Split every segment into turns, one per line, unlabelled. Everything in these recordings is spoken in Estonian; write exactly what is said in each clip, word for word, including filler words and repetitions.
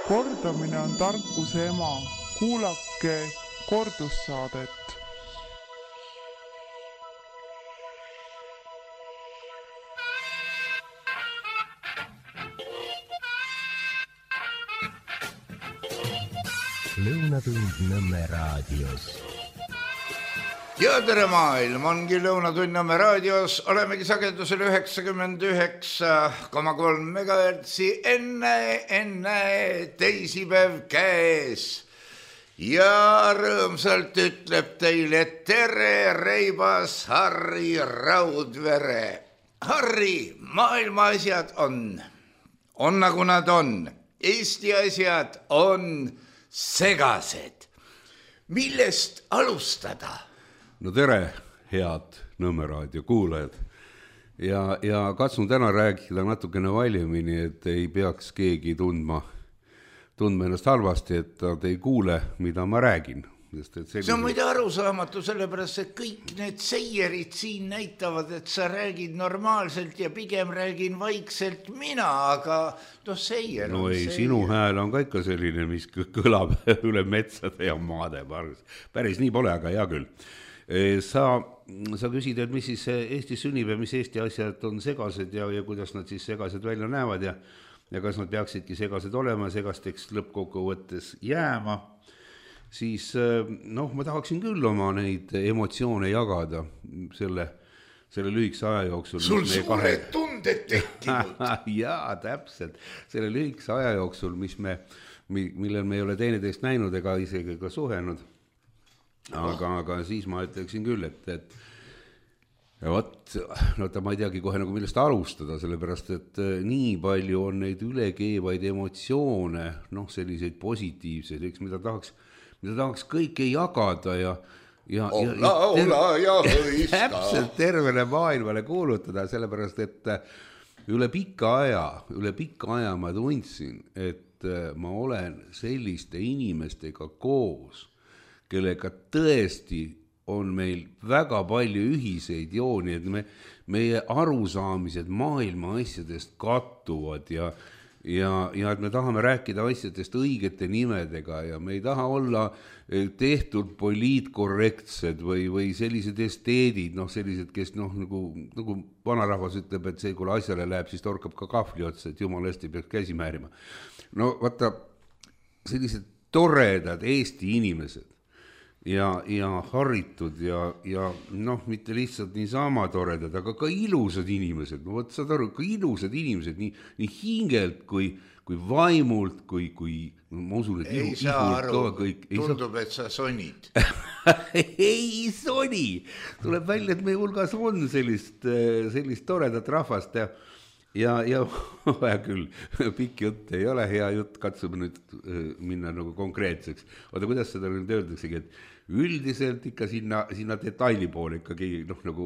Kordamine on tarkuse ema. Kuulake kordussaadet.
Lõunatund Nõmme raadios.
Ja tere maailm, ongi Lõunatund Nõmme raadios. Olemegi sagedusel üheksakümmend üheksa koma kolm megahertsi enne, enne teisipäev käes. Ja rõõmsalt ütleb teile tere Reibas Harri Raudvere. Harri, maailma asjad on, on nagu nad on. Eesti asjad on segased. Millest alustada?
No tere, head Nõmme raadio kuulajad. Ja, ja katsun täna rääkida natukene valjemini, et ei peaks keegi tundma, tundma ennast halvasti, et nad ei kuule, mida ma räägin. Sest, et selline... See on muide arusaamatu, sellepärast, et kõik need seierid siin näitavad, et sa räägid normaalselt ja pigem räägin vaikselt mina, aga no seier no on ei, seier. Sinu hääl on ka ikka selline, mis kõlab üle metsade ja maade. Päris nii pole, aga hea küll. Sa, sa küsid, et mis siis Eestis sünnib ja mis Eesti asjad on segased ja, ja kuidas nad siis segased välja näevad ja, ja kas nad peaksidki segased olema, segasteks lõppkokkuvõttes jääma. Siis noh, ma tahaksin küll oma neid emotsioone jagada selle, selle lühikse aja jooksul.
Sul suured kahe... tunded tekkinud.
Jaa, täpselt. Selle lühikse aja jooksul, mis me, millel me ei ole teineteist näinud ega isegi ka suhenud. Aga, aga siis ma ütleksin küll, et, et ja võt, no ta ma ei teagi kohe nagu millest alustada, sellepärast, et nii palju on neid ülekeevaid emotsioone, noh, selliseid positiivseid, eks, mida tahaks mida tahaks kõike jagada ja ja,
olla, ja, olla ja hõista.
Täpselt tervele maailmale kuulutada, sellepärast, et üle pika aja, üle pika aja ma tundsin, et ma olen selliste inimestega koos, kellega tõesti on meil väga palju ühiseid jooni, et me, meie arusaamised maailma asjadest kattuvad ja Ja, ja et me tahame rääkida asjadest õigete nimedega ja me ei taha olla tehtud poliitkorrektsed või, või sellised esteedid, noh sellised, kes noh, nagu, nagu vanarahvas ütleb, et see, kui asjale läheb, siis torkab ka kahvli otsa, et jumal hästi peaks käsi määrima. No vaata, sellised toredad Eesti inimesed ja, ja haritud ja, ja noh, mitte lihtsalt niisama toredad, aga ka ilusad inimesed. No võt, saad aru, ka ilusad inimesed, nii, nii hingelt kui, kui vaimult, kui, kui no, ma usun, et
ei
ihu,
saa aru,
ka kõik,
tundub, saa... et sa sonid.
ei soni, tuleb välja, et meie hulgas on sellist, sellist toredat rahvast ja Ja, ja vaja küll, pikk jutt ei ole hea jutt, katsume nüüd minna nagu konkreetseks. Oota, kuidas seda nüüd öeldaksegi, et üldiselt ikka sinna, sinna detaili poole ikkagi noh nagu...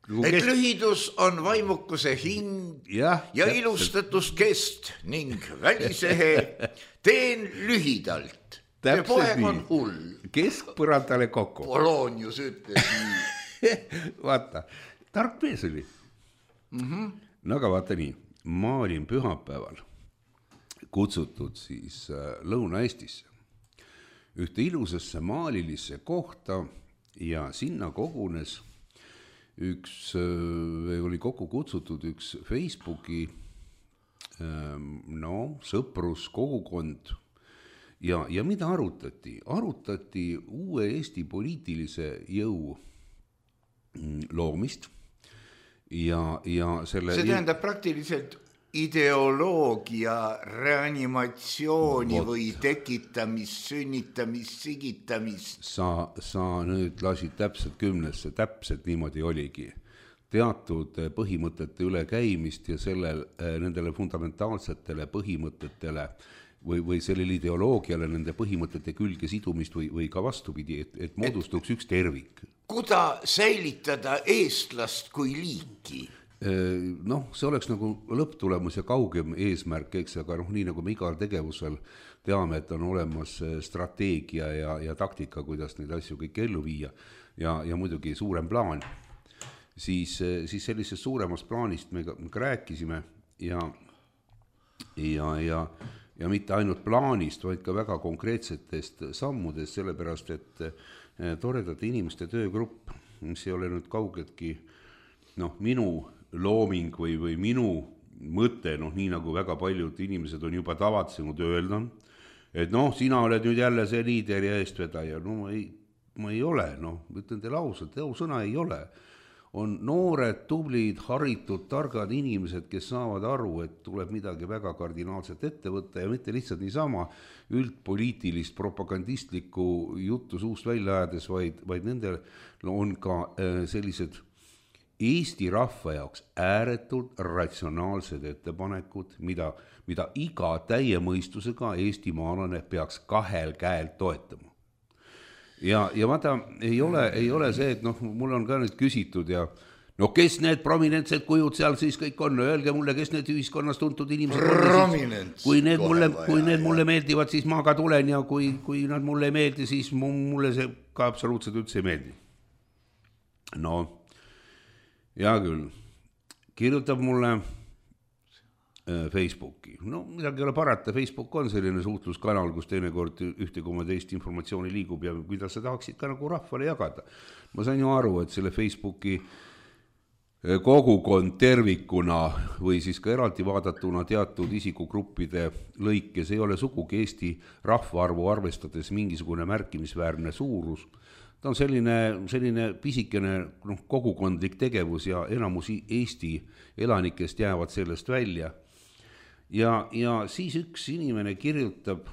nagu
et
kest...
lühidus on vaimukuse hind ja, ja ilustatus kest ning välisehe teen lühidalt. See poeg on hull.
Keskpõrandale kokku.
Polonius ütles nii.
Vaata, tark mees oli.
Mhm.
No aga vaata nii, ma olin pühapäeval kutsutud siis Lõuna-Eestisse ühte ilusasse maalilisse kohta ja sinna kogunes üks, oli kokku kutsutud üks Facebooki no, sõpruskogukond ja, ja mida arutati? Arutati uue Eesti poliitilise jõu loomist. Ja, ja selle
see tähendab praktiliselt ideoloogia reanimatsiooni Vot. Või tekitamist, sünnitamist, sigitamist.
Sa, sa nüüd lasid täpselt kümnesse, täpselt niimoodi oligi. Teatud põhimõtete üle käimist ja sellel, nendele fundamentaalsetele põhimõtetele või, või sellele ideoloogiale nende põhimõtete külge sidumist või, või ka vastupidi, et, et moodustuks et... üks tervik.
Kuda säilitada eestlast kui liiki?
Noh, see oleks nagu lõpptulemus ja kaugem eesmärk, eks, aga noh, nii nagu me igal tegevusel teame, et on olemas strateegia ja, ja taktika, kuidas neid asju kõik ellu viia ja, ja muidugi suurem plaan, siis, siis sellisest suuremast plaanist me ka, me ka rääkisime ja, ja, ja ja mitte ainult plaanist, vaid ka väga konkreetsetest sammudest, sellepärast et toredate inimeste töögrupp, mis ei ole nüüd kaugeltki noh, minu looming või, või minu mõte, noh nii nagu väga paljud inimesed on juba tavatsenud öelda, et noh, sina oled nüüd jälle see liider ja eestvedaja, no ma ei, ma ei ole, noh, ütlen teile ausalt, sõna ei ole. On noored, tublid, haritud, targad inimesed, kes saavad aru, et tuleb midagi väga kardinaalset ette võtta ja mitte lihtsalt niisama üldpoliitilist propagandistlikku juttu suust välja ajades, vaid, vaid nendel on ka sellised Eesti rahva jaoks ääretult ratsionaalsed ettepanekud, mida, mida iga täie mõistusega Eesti maalane peaks kahel käel toetama. Ja, ja vaata, ei ole, ei ole see, et noh, mul on ka nüüd küsitud ja no kes need prominentsed kujud seal siis kõik on, öelge mulle, kes need ühiskonnas tuntud inimesed on, siis, kui need mulle, kui need mulle meeldivad, siis ma ka tulen ja kui, kui nad mulle ei meeldi, siis mulle see ka absoluutselt üldse ei meeldi. No, hea küll, kirjutab mulle Facebooki. No midagi ei ole parata, Facebook on selline suhtluskanal, kus teinekord ühte koma teist informatsiooni liigub ja mida sa tahaksid ka nagu rahvale jagada. Ma sain ju aru, et selle Facebooki kogukond tervikuna või siis ka eraldi vaadatuna teatud isikugruppide lõikes ei ole sugugi Eesti rahvaarvu arvestades mingisugune märkimisväärne suurus. Ta on selline, selline pisikene noh, kogukondlik tegevus ja enamus Eesti elanikest jäävad sellest välja. Ja, ja siis üks inimene kirjutab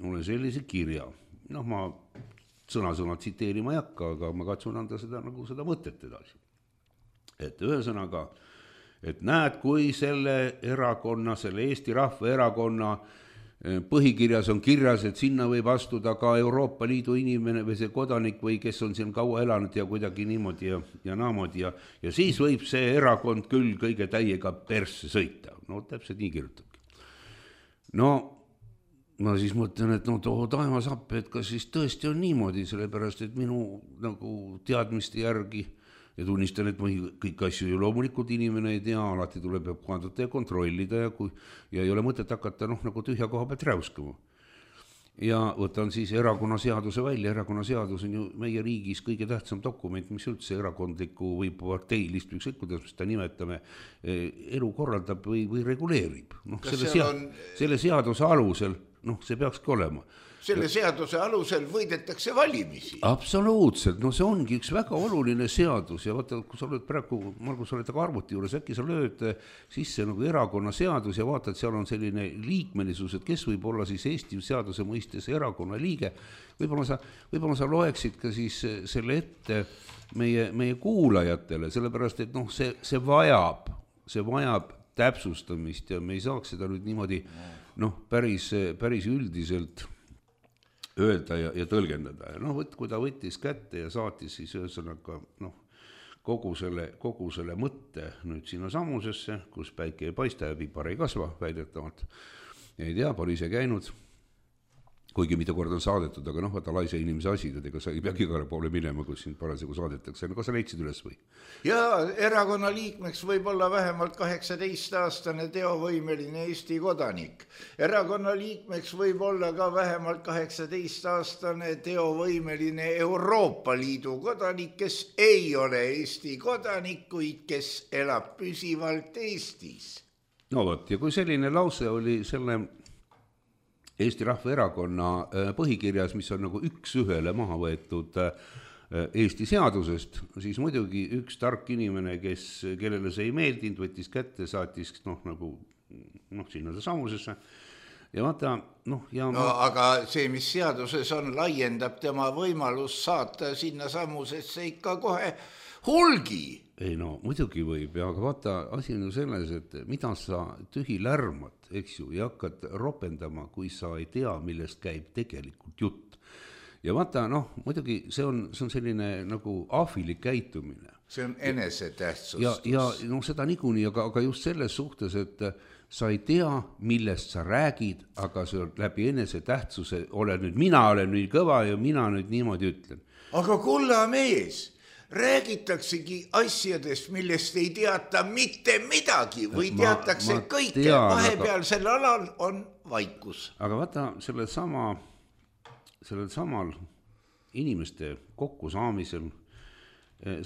mulle sellise kirja. Noh, ma sõna-sõna tsiteerima ei hakka, aga ma katsun anda seda, nagu seda mõtet edasi. Et ühesõnaga, et näed, kui selle erakonna, selle Eesti Rahva erakonna põhikirjas on kirjas, et sinna võib astuda ka Euroopa Liidu inimene või see kodanik või kes on siin kaua elanud ja kuidagi niimoodi ja, ja naamodi ja, ja siis võib see erakond küll kõige täiega persse sõita. No täpselt nii kirjutabki. No ma siis mõtlen, et no too taevas appi, et kas siis tõesti on niimoodi, sellepärast et minu nagu teadmiste järgi ja tunnistan, et ma kõik asju ju loomulikult inimene ei tea, alati tuleb vaadata ja kontrollida ja, kui, ja ei ole mõtet hakata noh, nagu tühja koha pealt räuskama. Ja võtan siis erakonnaseaduse välja, erakonnaseadus on ju meie riigis kõige tähtsam dokument, mis üldse erakondliku või parteilist, ükskõik kuidas seda nimetame, elu korraldab või, või reguleerib. No, selle, sea, on... selle seaduse alusel, noh, see peakski olema.
Selle seaduse alusel võidetakse valimisi.
Absoluutselt, no see ongi üks väga oluline seadus ja vaata, kui sa oled praegu, Margus, sa oled aga arvuti juures, äkki sa lööd sisse nagu erakonna seadus ja vaatad, seal on selline liikmelisus, et kes võib olla siis Eesti seaduse mõistes erakonna liige. Võib-olla sa, võib-olla sa loeksid ka siis selle ette meie, meie kuulajatele, sellepärast, et noh, see, see vajab, see vajab täpsustamist ja me ei saaks seda nüüd niimoodi noh, päris, päris üldiselt öelda ja, ja tõlgendada. No võt, kui ta võttis kätte ja saatis siis ühesõnaga noh, kogu selle, kogu selle mõtte nüüd sinna samusesse, kus päike ei paista ja pipar ei kasva väidetavalt. Ei tea, pole ise käinud, kuigi mitu kord on saadetud, aga noh, vaata laise inimese asi, ega sa ei peagi igale poole minema, kus sind parasjagu saadetakse. No, kas sa leidsid üles või?
Ja erakonna liikmeks võib olla vähemalt kaheksateist aastane teovõimeline Eesti kodanik. Erakonna liikmeks võib olla ka vähemalt kaheksateist aastane teovõimeline Euroopa Liidu kodanik, kes ei ole Eesti kodanik, kuid kes elab püsivalt Eestis.
No võt, ja kui selline lause oli selle Eesti Rahva Erakonna põhikirjas, mis on nagu üks ühele maha võetud Eesti seadusest, siis muidugi üks tark inimene, kes, kellele see ei meeldinud, võttis kätte, saatis noh, nagu, noh, sinna samusesse. Ja vaata, noh, ja
no, ma... aga see, mis seaduses on, laiendab tema võimalus saata sinna samusesse ikka kohe hulgi.
Ei no, muidugi võib, ja aga vaata, asi on ju selles, et mida sa tühi lärmad, eks ju, ja hakkad ropendama, kui sa ei tea, millest käib tegelikult jutt. Ja vaata, noh, muidugi see on, see on selline nagu ahvilik käitumine.
See on enesetähtsustus.
Ja, ja no, seda niikuinii, aga, aga just selles suhtes, et sa ei tea, millest sa räägid, aga see on läbi enesetähtsuse, ole nüüd, mina olen nüüd kõva ja mina nüüd niimoodi ütlen.
Aga kulla mees, räägitaksegi asjadest, millest ei teata mitte midagi või teatakse ma, ma kõike. Vahepealsel alal on vaikus.
aga vaata, sellel sama, sellel samal inimeste kokkusaamisel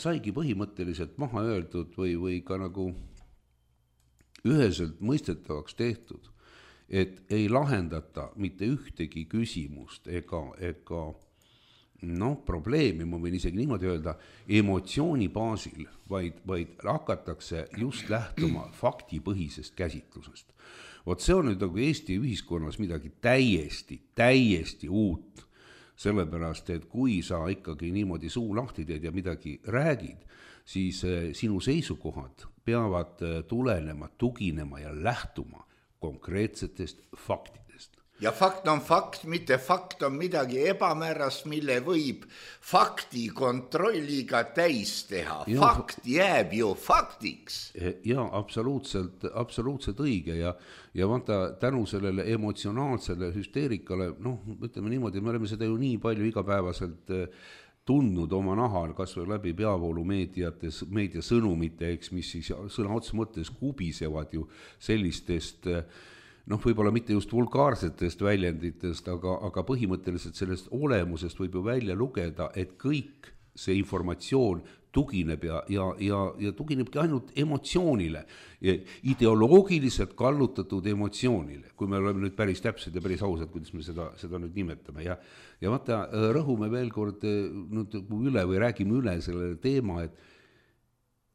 saigi põhimõtteliselt maha öeldud või, või ka nagu üheselt mõistetavaks tehtud, et ei lahendata mitte ühtegi küsimust ega, ega noh, probleemi, ma võin isegi niimoodi öelda, emotsiooni baasil, vaid, vaid hakatakse just lähtuma faktipõhisest käsitlusest. Vot see on nüüd nagu Eesti ühiskonnas midagi täiesti, täiesti uut. Sellepärast, et kui sa ikkagi niimoodi suu lahti teed ja midagi räägid, siis sinu seisukohad peavad tulenema, tuginema ja lähtuma konkreetsetest faktidest.
Ja fakt on fakt, mitte fakt on midagi ebamäärast, mille võib fakti kontrolliga täis teha. Ja, fakt jääb ju faktiks.
Ja absoluutselt, absoluutselt õige ja, ja vaata tänu sellele emotsionaalsele hüsteerikale, noh, ütleme niimoodi, me oleme seda ju nii palju igapäevaselt tundnud oma nahal, kas või läbi peavoolumeediates, meediasõnumite, eks, mis siis sõna otsa mõttes kubisevad ju sellistest noh, võib-olla mitte just vulgaarsetest väljenditest, aga, aga põhimõtteliselt sellest olemusest võib ju välja lugeda, et kõik see informatsioon tugineb ja, ja, ja, ja tuginebki ainult emotsioonile, ideoloogiliselt kallutatud emotsioonile, kui me oleme nüüd päris täpsed ja päris ausad, kuidas me seda, seda nüüd nimetame. Ja, ja vaata, rõhume veel kord nüüd üle või räägime üle selle teema, et,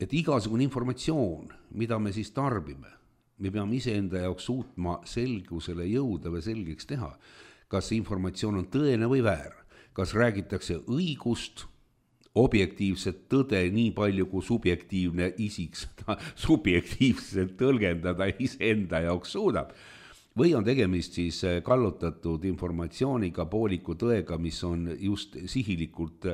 et igasugune informatsioon, mida me siis tarbime, me peame iseenda jaoks suutma selgusele jõuda või selgeks teha, kas informatsioon on tõene või väär, kas räägitakse õigust, objektiivset tõde nii palju, kui subjektiivne isik seda subjektiivselt tõlgendada iseenda jaoks suudab, või on tegemist siis kallutatud informatsiooniga, pooliku tõega, mis on just sihilikult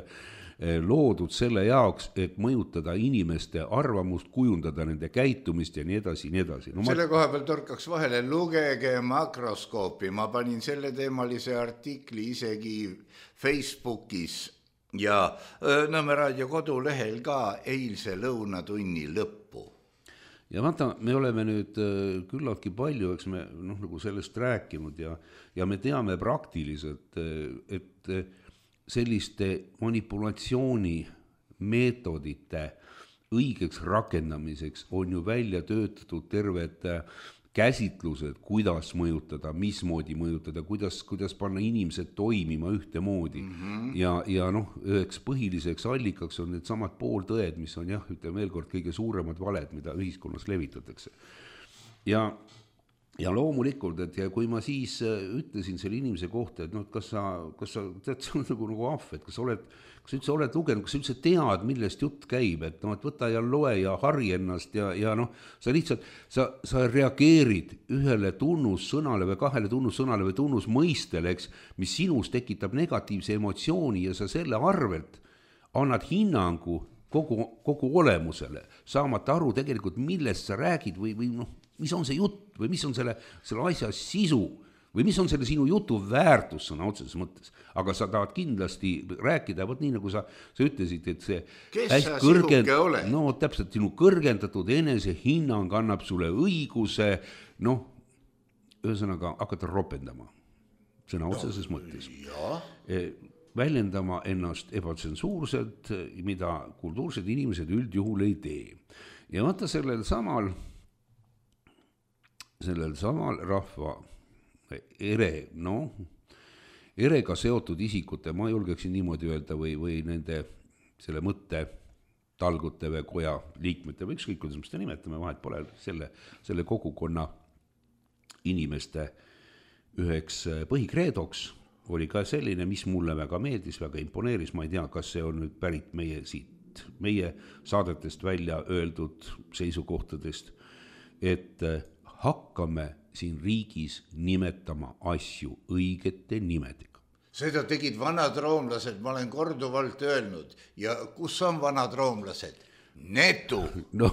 loodud selle jaoks, et mõjutada inimeste arvamust, kujundada nende käitumist ja nii edasi, nii edasi.
No, selle ma... koha peal torkaks vahele, lugege makroskoopi, ma panin selle teemalise artikli isegi Facebookis ja Nõmme raadio kodulehel ka eilse lõunatunni lõppu.
Ja vaata, me oleme nüüd küllaltki palju, eks me noh, nagu sellest rääkinud ja, ja me teame praktiliselt, et selliste manipulatsiooni meetodite õigeks rakendamiseks on ju välja töötatud terved käsitlused, kuidas mõjutada, mismoodi mõjutada, kuidas, kuidas panna inimesed toimima ühtemoodi. Mm-hmm. Ja, ja noh, üheks põhiliseks allikaks on need samad pooltõed, mis on jah, ütleme veel kord kõige suuremad valed, mida ühiskonnas levitatakse. Ja Ja loomulikult, et ja kui ma siis ütlesin selle inimese kohta, et noh, kas sa, kas sa tead, see on nagu, nagu ahv, et kas sa oled, kas sa üldse oled lugenud, kas sa üldse tead, millest jutt käib, et noh, et võta ja loe ja harri ennast ja, ja noh, sa lihtsalt, sa, sa reageerid ühele tunnussõnale või kahele tunnussõnale või tunnusmõistele, eks, mis sinus tekitab negatiivse emotsiooni ja sa selle arvelt annad hinnangu kogu, kogu olemusele, saamata aru tegelikult, millest sa räägid või, või noh, mis on see jutt või mis on selle, selle asja sisu või mis on selle sinu jutu väärtus sõna otseses mõttes. Aga sa tahad kindlasti rääkida, võt nii nagu sa, sa ütlesid, et see
kes sa kõrgend... sihuke ole?
No täpselt sinu kõrgendatud enese hinnang annab sulle õiguse, noh, ühesõnaga hakata ropendama sõna otseses no, mõttes. Ja. Väljendama ennast ebatsensuurselt, mida kultuursed inimesed üldjuhul ei tee. Ja vaata sellel samal sellel samal rahva ere, noh, erega seotud isikute, ma julgeksin niimoodi öelda, või, või nende selle mõtte talgute või koja liikmete või ükskõik, kuidas me seda nimetame, vahet pole selle, selle kogukonna inimeste üheks põhikreedoks oli ka selline, mis mulle väga meeldis, väga imponeeris, ma ei tea, kas see on nüüd pärit meie siit, meie saadetest välja öeldud seisukohtadest, et hakkame siin riigis nimetama asju õigete nimedega.
Seda tegid vanad roomlased, ma olen korduvalt öelnud. Ja kus on vanad roomlased? Netu.
No,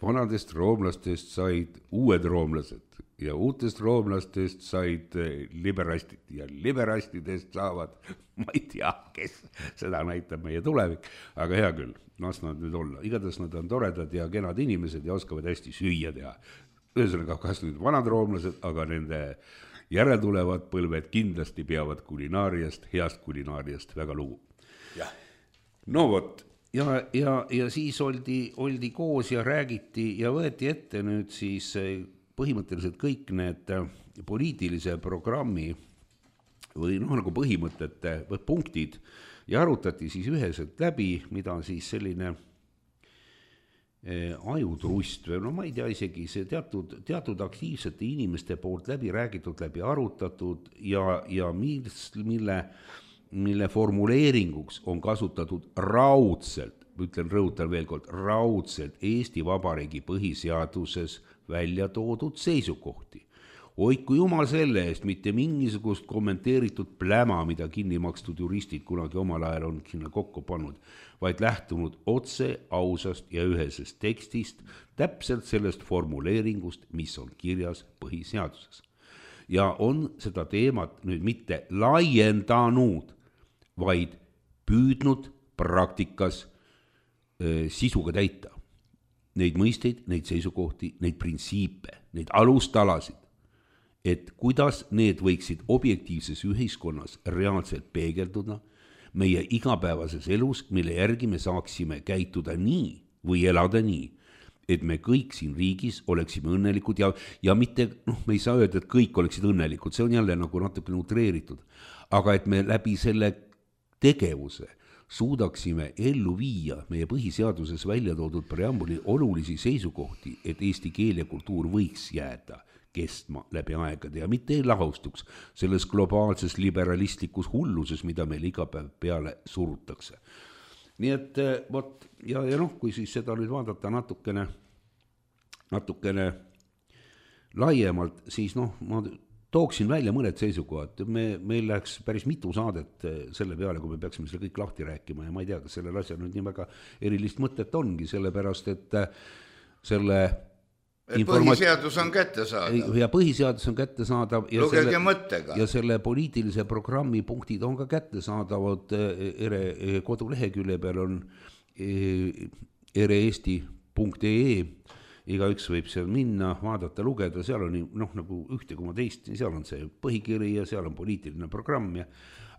vanadest roomlastest said uued roomlased ja uutest roomlastest said liberastid ja liberastidest saavad, ma ei tea, kes seda näitab meie tulevik, aga hea küll, las nad nüüd olla. Igatahes nad on toredad ja kenad inimesed ja oskavad hästi süüa teha. Ühesõnaga, kas nüüd vanad roomlased, aga nende järeltulevad põlved kindlasti peavad kulinaariast, heast kulinaariast väga lugu. No vot, ja, ja, ja siis oldi, oldi koos ja räägiti ja võeti ette nüüd siis põhimõtteliselt kõik need poliitilise programmi või noh, nagu põhimõtete või punktid ja arutati siis üheselt läbi, mida siis selline ajutrust või no ma ei tea isegi see teatud, teatud aktiivsete inimeste poolt läbi räägitud, läbi arutatud ja, ja mis, mille, mille formuleeringuks on kasutatud raudselt, ütlen, rõhutan veel kord, raudselt Eesti Vabariigi põhiseaduses välja toodud seisukohti. Hoidku jumal selle eest, mitte mingisugust kommenteeritud pläma, mida kinni makstud juristid kunagi omal ajal on sinna kokku pannud, vaid lähtunud otse, ausast ja ühesest tekstist, täpselt sellest formuleeringust, mis on kirjas põhiseaduses. Ja on seda teemat nüüd mitte laiendanud, vaid püüdnud praktikas äh, sisuga täita. Neid mõisteid, neid seisukohti, neid printsiipe, neid alustalasid, et kuidas need võiksid objektiivses ühiskonnas reaalselt peegelduda meie igapäevases elus, mille järgi me saaksime käituda nii või elada nii, et me kõik siin riigis oleksime õnnelikud ja, ja mitte, noh, me ei saa öelda, et kõik oleksid õnnelikud, see on jälle nagu natuke utreeritud, aga et me läbi selle tegevuse suudaksime ellu viia meie põhiseaduses välja toodud preambuli olulisi seisukohti, et eesti keel ja kultuur võiks jääda kestma läbi aegade ja mitte ei lahustuks selles globaalses liberalistlikus hulluses, mida meil iga päev peale surutakse. Nii et võt, ja, ja noh, kui siis seda nüüd vaadata natukene, natukene laiemalt, siis noh, ma tooksin välja mõned seisukohad. Me, meil läheks päris mitu saadet selle peale, kui me peaksime selle kõik lahti rääkima ja ma ei tea, kas sellel asjal nüüd nii väga erilist mõtet ongi, sellepärast et selle
et põhiseadus on kättesaadav.
Ja põhiseadus on kättesaadav. Ja
lugege
selle,
mõttega.
Ja selle poliitilise programmi punktid on ka kättesaadavad ere kodulehekülje peal on ereesti punkt ee. Igaüks võib seal minna, vaadata, lugeda, seal on noh, nagu ühte koma teist, seal on see põhikiri ja seal on poliitiline programm. Ja,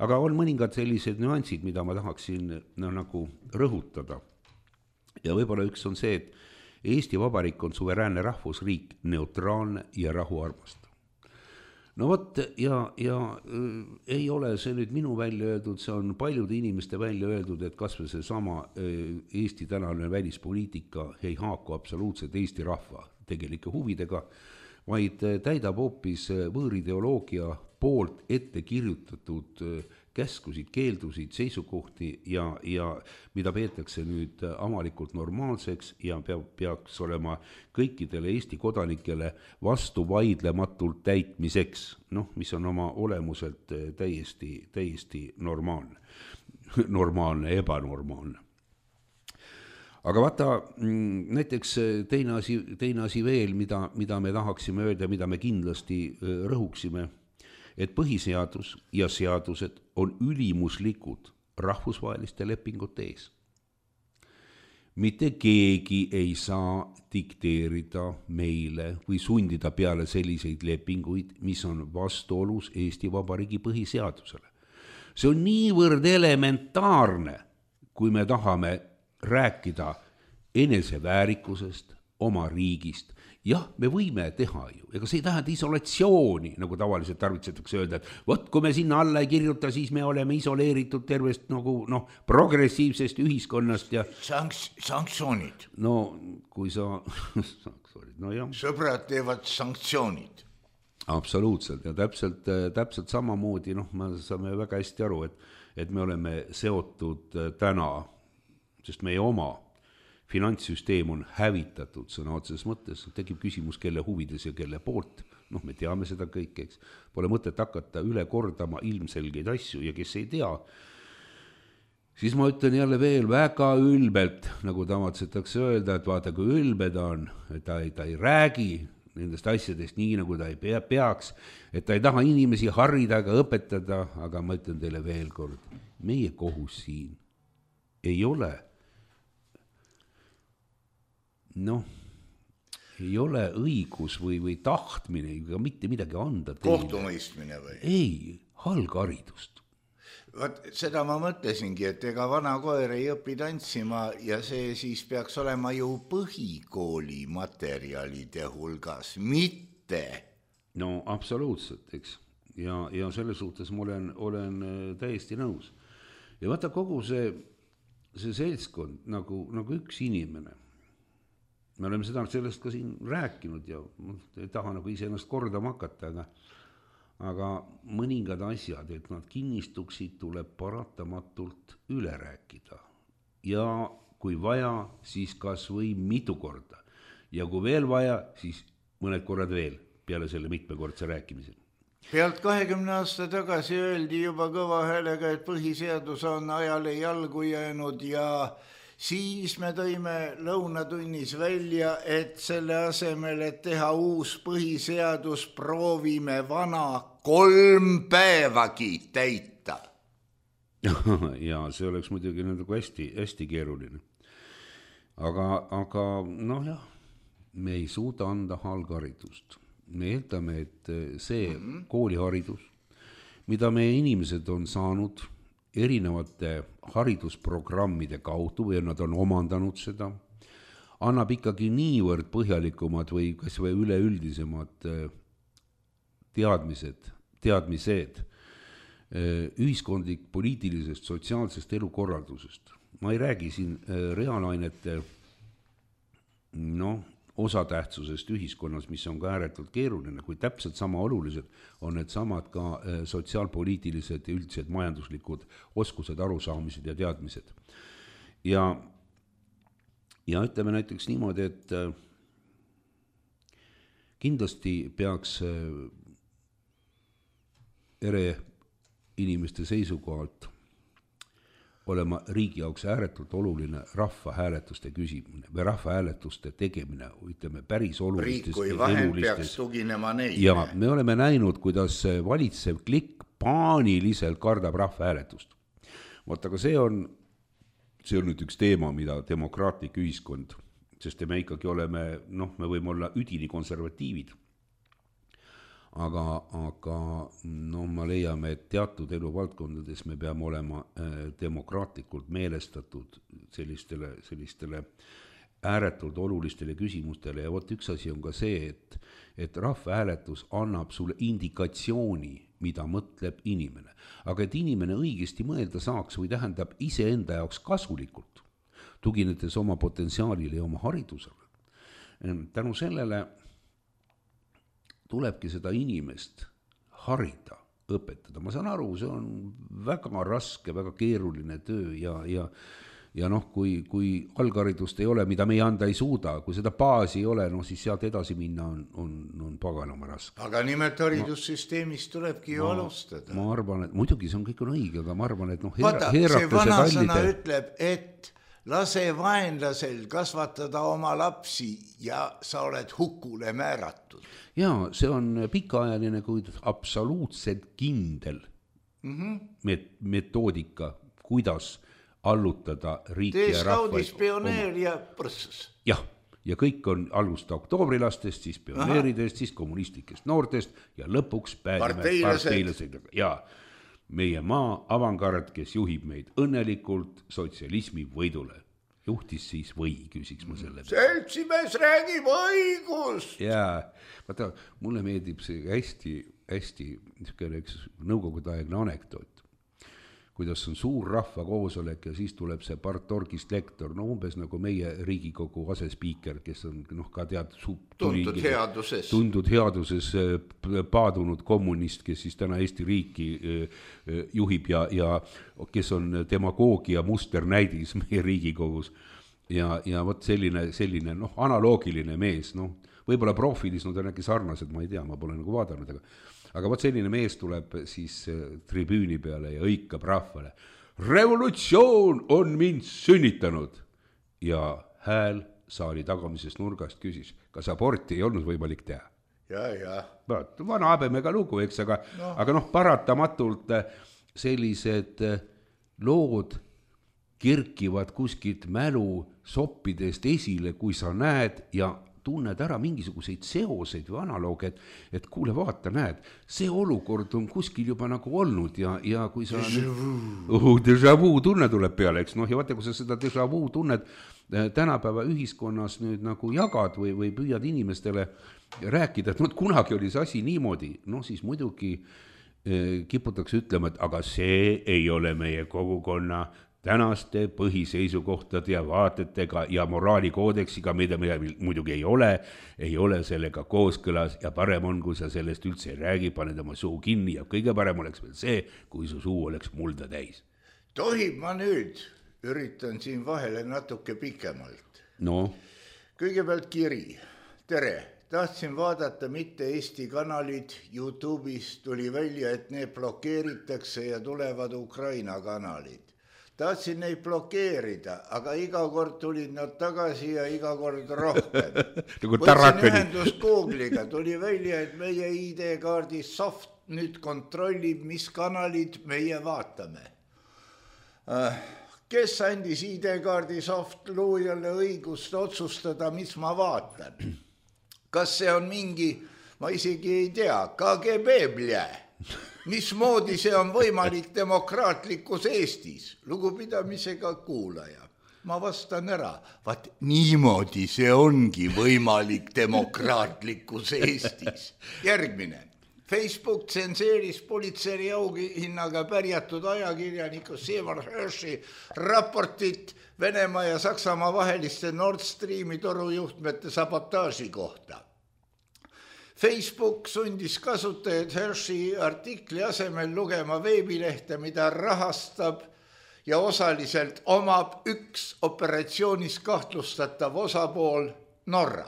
aga on mõningad sellised nüansid, mida ma tahaksin no, nagu rõhutada. Ja võib-olla üks on see, et Eesti Vabariik on suveräänne rahvusriik, neutraalne ja rahuarmastav. No vot, ja, ja äh, ei ole see nüüd minu välja öeldud, see on paljude inimeste välja öeldud, et kas või see sama äh, Eesti tänane välispoliitika ei haaku absoluutselt Eesti rahva tegelike huvidega, vaid äh, täidab hoopis äh, võõrideoloogia poolt ette kirjutatud äh, käskusid, keeldusid, seisukohti ja, ja mida peetakse nüüd avalikult normaalseks ja peab, peaks olema kõikidele Eesti kodanikele vastu vaidlematult täitmiseks, noh, mis on oma olemuselt täiesti, täiesti normaalne, normaalne, ebanormaalne. Aga vaata, näiteks teine asi, teine asi veel, mida, mida me tahaksime öelda, mida me kindlasti rõhuksime, et põhiseadus ja seadused on ülimuslikud rahvusvaheliste lepingute ees. Mitte keegi ei saa dikteerida meile või sundida peale selliseid lepinguid, mis on vastuolus Eesti Vabariigi põhiseadusele. See on niivõrd elementaarne, kui me tahame rääkida eneseväärikusest, oma riigist. Jah, me võime teha ju, ega see ei tähenda isolatsiooni, nagu tavaliselt tarvitsetakse öelda, et võt, kui me sinna alla ei kirjuta, siis me oleme isoleeritud tervest nagu, noh, progressiivsest ühiskonnast ja
Sanks, sanktsioonid.
No, kui sa sanktsioonid, no jah.
Sõbrad teevad sanktsioonid.
Absoluutselt ja täpselt, täpselt samamoodi, noh, me saame väga hästi aru, et, et me oleme seotud täna, sest meie oma finantssüsteem on hävitatud sõna otseses mõttes, tekib küsimus, kelle huvides ja kelle poolt, noh, me teame seda kõik, eks, pole mõtet hakata üle kordama ilmselgeid asju ja kes ei tea, siis ma ütlen jälle veel väga ülbelt, nagu tavatsetakse öelda, et vaata, kui ülbed on, et ta ei, ta ei räägi nendest asjadest nii, nagu ta ei pea, peaks, et ta ei taha inimesi harrida ega õpetada, aga ma ütlen teile veel kord, meie kohus siin ei ole noh, ei ole õigus või, või tahtmine ega mitte midagi anda
teile. Kohtumõistmine või?
Ei, algharidust.
Vaat seda ma mõtlesingi, et ega vana koer ei õpi tantsima ja see siis peaks olema ju põhikooli materjalide hulgas, mitte.
No absoluutselt, eks. Ja, ja selle suhtes ma olen, olen täiesti nõus. Ja vaata kogu see, see seltskond nagu, nagu üks inimene. Me oleme seda sellest ka siin rääkinud ja ei taha nagu ise ennast kordama hakata, aga, aga mõningad asjad, et nad kinnistuksid, tuleb paratamatult üle rääkida. Ja kui vaja, siis kas või mitu korda. Ja kui veel vaja, siis mõned korrad veel peale selle mitmekordse rääkimisel.
Pealt kahekümne aasta tagasi öeldi juba kõva häälega, et põhiseadus on ajale jalgu jäänud ja siis me tõime lõunatunnis välja, et selle asemel, et teha uus põhiseadus, proovime vana kolm päevagi täita.
Ja see oleks muidugi nagu hästi, hästi keeruline. Aga, aga noh jah, me ei suuda anda algharidust. Me eeldame, et see mm-hmm. kooliharidus, mida meie inimesed on saanud erinevate haridusprogrammide kaudu või nad on omandanud seda, annab ikkagi niivõrd põhjalikumad või kas või üleüldisemad teadmised, teadmised ühiskondlik, poliitilisest, sotsiaalsest elukorraldusest. Ma ei räägi siin reaalainete noh, osatähtsusest ühiskonnas, mis on ka ääretult keeruline, kui täpselt sama olulised on need samad ka sotsiaalpoliitilised ja üldised majanduslikud oskused, arusaamised ja teadmised. Ja, ja ütleme näiteks niimoodi, et kindlasti peaks ere inimeste seisukohalt olema riigi jaoks ääretult oluline rahvahääletuste küsimine või rahvahääletuste tegemine, ütleme päris olulistest.
Riik kui vahend peaks tuginema neile.
Ja me oleme näinud, kuidas valitsev klikk paaniliselt kardab rahvahääletust. Vaat, aga see on, see on nüüd üks teema, mida demokraatlik ühiskond, sest me ikkagi oleme, noh, me võime olla üdini konservatiivid. Aga, aga no ma leiame, et teatud eluvaldkondades me peame olema demokraatlikult meelestatud sellistele, sellistele ääretult olulistele küsimustele ja võt üks asi on ka see, et, et rahvahääletus annab sulle indikatsiooni, mida mõtleb inimene. Aga et inimene õigesti mõelda saaks või tähendab iseenda jaoks kasulikult, tuginedes oma potentsiaalile ja oma haridusele. Tänu sellele tulebki seda inimest harida, õpetada. Ma saan aru, see on väga raske, väga keeruline töö ja, ja, ja noh, kui, kui algharidust ei ole, mida me ei anda ei suuda, kui seda baasi ei ole, no siis sealt edasi minna on, on, on paganama raske.
Aga nimelt haridussüsteemist tulebki ju ma, alustada.
Ma arvan, et muidugi see on kõik on õige, aga ma arvan, et noh,
Vaata, see vanasõna kallide... ütleb, et lase vaenlasel kasvatada oma lapsi ja sa oled hukule määratud.
Jaa, see on pikaajaline, kuid absoluutselt kindel mm-hmm. met- metoodika, kuidas allutada riiki
Tee
ja rahvaid.
Tees kaudis pioneer ja põrsus.
Jah, ja kõik on alusta oktoobrilastest, siis pioneeridest, Aha. siis kommunistlikest noortest ja lõpuks päädime parteilased. Ja meie maa avangard, kes juhib meid õnnelikult sotsialismi võidule. Juhtis siis või, küsiks ma selle.
Seltsimees räägib õigus.
Jaa, vaata, mulle meeldib see hästi, hästi üks nõukogudeaegne anekdoot. Kuidas on suur rahva koosolek ja siis tuleb see partorgist lektor, no umbes nagu meie Riigikogu asespiiker, kes on noh, ka tead
tundud headuses.
Tundud headuses paadunud kommunist, kes siis täna Eesti riiki juhib ja, ja kes on demagoogia musternäidis meie Riigikogus. Ja, ja võt selline, selline noh, analoogiline mees, noh, võib-olla profilis nad on äkki sarnased, ma ei tea, ma pole nagu vaadanud, aga Aga võt selline mees tuleb siis tribüüni peale ja õikab rahvale. Revolutsioon on mind sünnitanud. Ja hääl saali tagamisest nurgast küsis, kas aborti ei olnud võimalik teha.
Ja, ja.
Vana habemega lugu, eks, aga no. aga noh, paratamatult sellised lood kerkivad kuskilt mälu soppidest esile, kui sa näed ja tunned ära mingisuguseid seoseid või analooge, et, et kuule, vaata, näed, see olukord on kuskil juba nagu olnud ja, ja kui sa uh, déjà vu tunne tuleb peale, eks noh, ja vaata, kui sa seda déjà vu tunned tänapäeva ühiskonnas nüüd nagu jagad või, või püüad inimestele rääkida, et no, kunagi oli see asi niimoodi, noh siis muidugi eh, kiputakse ütlema, et aga see ei ole meie kogukonna tänaste põhiseisukohtade ja vaatetega ja moraalikoodeksiga, mida, mida muidugi ei ole, ei ole sellega kooskõlas ja parem on, kui sa sellest üldse ei räägi, paned oma suu kinni ja kõige parem oleks veel see, kui su suu oleks mulda täis.
Tohib ma nüüd, üritan siin vahele natuke pikemalt.
No.
Kõigepealt kiri. Tere, tahtsin vaadata mitte Eesti kanalid, YouTube'is tuli välja, et need blokeeritakse ja tulevad Ukraina kanalid. Tahtsin neid blokeerida, aga iga kord tulid nad tagasi ja iga kord rohkem. Võtsin ühendus Google'iga, tuli välja, et meie I D-kaardi soft nüüd kontrollib, mis kanalid meie vaatame. Kes andis I D-kaardi soft luujale õigust otsustada, mis ma vaatan? Kas see on mingi, ma isegi ei tea, K G B blje? Mismoodi see on võimalik demokraatlikus Eestis? Lugupidamisega kuulaja. Ma vastan ära. Vaat niimoodi see ongi võimalik demokraatlikus Eestis. Järgmine. Facebook tsenseeris politsei auhinnaga pärjatud ajakirjaniku Seymour Hershi raportit Venemaa ja Saksamaa vaheliste Nord Streami torujuhtmete sabotaaži kohta. Facebook sundis kasutajad Hershi artikli asemel lugema veebilehte, mida rahastab ja osaliselt omab üks operatsioonis kahtlustatav osapool Norra.